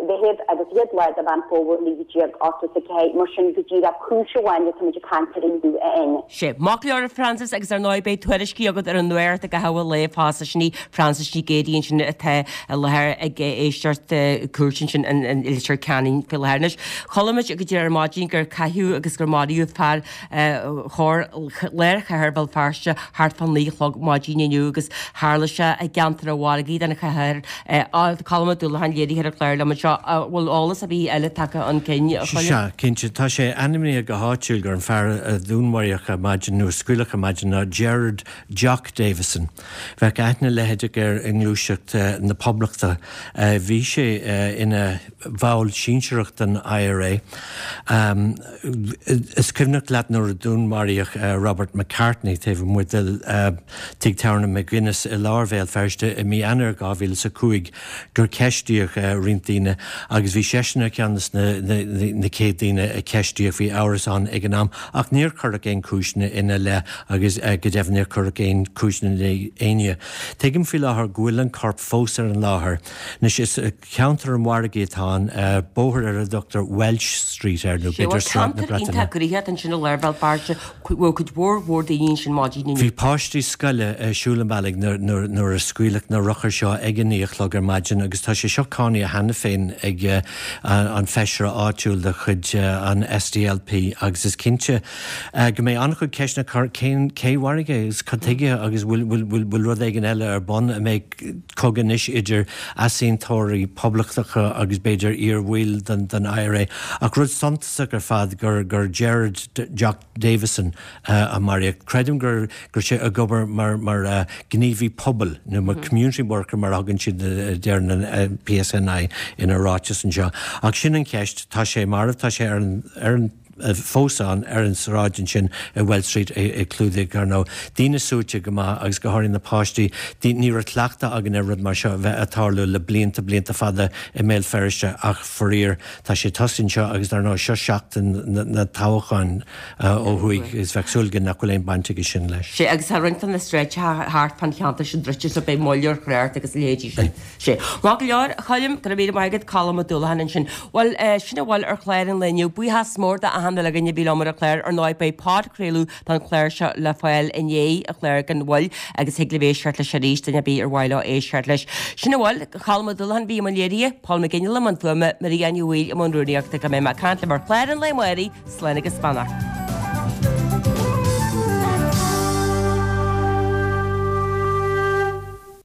Mheitheamh agus an chéad lá de Mheán Fómhair 1984. Mar sin, go díreach cúis amháin atáimid ag caint air inniu, a Áine. Sea. Maith go leor, a Frances, agus ar ndóigh beidh tuairiscí agat ar an nuacht i gcaitheamh an lae fosta. Sin í Frances Nic Géadaigh ansin atá i láthair ag éisteacht cúirte ansin i Leitir Ceanainn faoi láthair. Anois, chuala muid go díreach ar maidin gur caitheadh agus gur maraíodh fear chóir lár chathair Bhéal Feirste thart fá naoi a chlog maidin inniu agus tharla sé i gceantar an mhargaidh den chathair. Colm Ó Dúlacháin léiritheoir an chláir liom anseo. An bhfuil eolas ar bith eile tagtha chun cinn, a Choilm? Sea, cinnte. Tá sé ainmnithe go háitiúil gur an fear a dúnmaraíodh ar maidin, nó a scaoileadh ar maidin, ná Gerard 'Jock' Davison. Bheadh aithne leitheadach air i ngluaiseacht na Poblachta. Bhí sé ina bhall sinsearach den IRA. Is cuimhneach leat nuair a dúnmaraíodh Robert McCartney taobh amuigh de Tigh Tábhairne McGuinness i lár Bhéal Feirste i mí Eanáir 2005 gur ceistíodh roinnt daoine agus bhí seisean ar cheann de na chéad daoine a ceistíodh. Bhí amhras ann ag an am ach níor cuireadh aon chúiseanna ina leith agus go deimhin níor cuireadh aon chúiseanna i leith éinne. Tuigim faoi láthair go bhfuil an corp fós ar an láthair. Anois is. Ceantar an Mhargaidh atá ann, bóthar ar a dtugtar Welsh Street air, nó b'fhéidir Sráid na Ceantar Breataine. iontach gnoitheach ansin i lár Bhéal Feirste, bhfuil cuid mhór mhór daoine ansin maidin inniu. Bhí páistí scoile ag siúl an bhealaigh nuair a scaoileadh na rothair seo ag a naoi a chlog ar maidin agus tá sé seo cáinte cheana féin ag an feisire áitiúil de chuid an SDLP agus is cinnte go mbeidh an-chuid ceisteanna cén cé mharaigh é agus cad tuige agus bhfuil rud éigin eile ar bun, an mbeidh cogadh anois idir easaontóirí poblachtacha agus b'fhéidir iar-bhaill den IRA. Ach rud suntasach ar fad gur gur Gerard Jock Davison a maraíodh. Creidim go raibh sé ag obair mar mar gníomhaí pobail nó mar community worker mar a thugann siad a deireann an PSNI ina ráiteas anseo. Ach sin an cheist, tá sé marbh, tá sé ar an ar an fós ann ar an sráid ansin i Welsh Street ag clúdaigh, ar ndóigh. Daoine suaite go maith agus go háirithe na páistí. Ní raibh cleachtadh againn ar rud mar seo a bheith ag tarlú le blianta, blianta fada i mBéal Feirste ach faraor tá sé tosaithe anseo agus dar ndóigh seo seachtain na toghcháin ó thuaidh agus bheadh súil againn nach bhfuil aon baint aige sin leis. Sea, agus tá roinnt de na sráideacha thart fán cheantar sin druidte so beidh moill ar thrácht agus a leithéidí sin. Sea. Maith go leor, a Choilm, go raibh míle maith agat, Colm Ó Dúlacháin ansin. Bhuel, sin a bhfuil ar chlár an lae inniu. Buíochas mór d'achan duine againn a bhí liom ar an chlár. Ar ndóigh, beidh podchraoladh don chlár seo le fáil i ndiaidh an chláir gan mhoill agus thig libh éisteacht leis arís, duine ar bith ar mhaith leo éisteacht leis. Sin a bhfuil. Colm Ó Dúlacháin a bhí i mbun léirithe, Paul McGinley i mbun fuaime, Maria Ní Bhaoill i mbun rúnaíochta. Go mbeidh mé ag caint libh ar chlár an lae amárach, slán agus beannacht.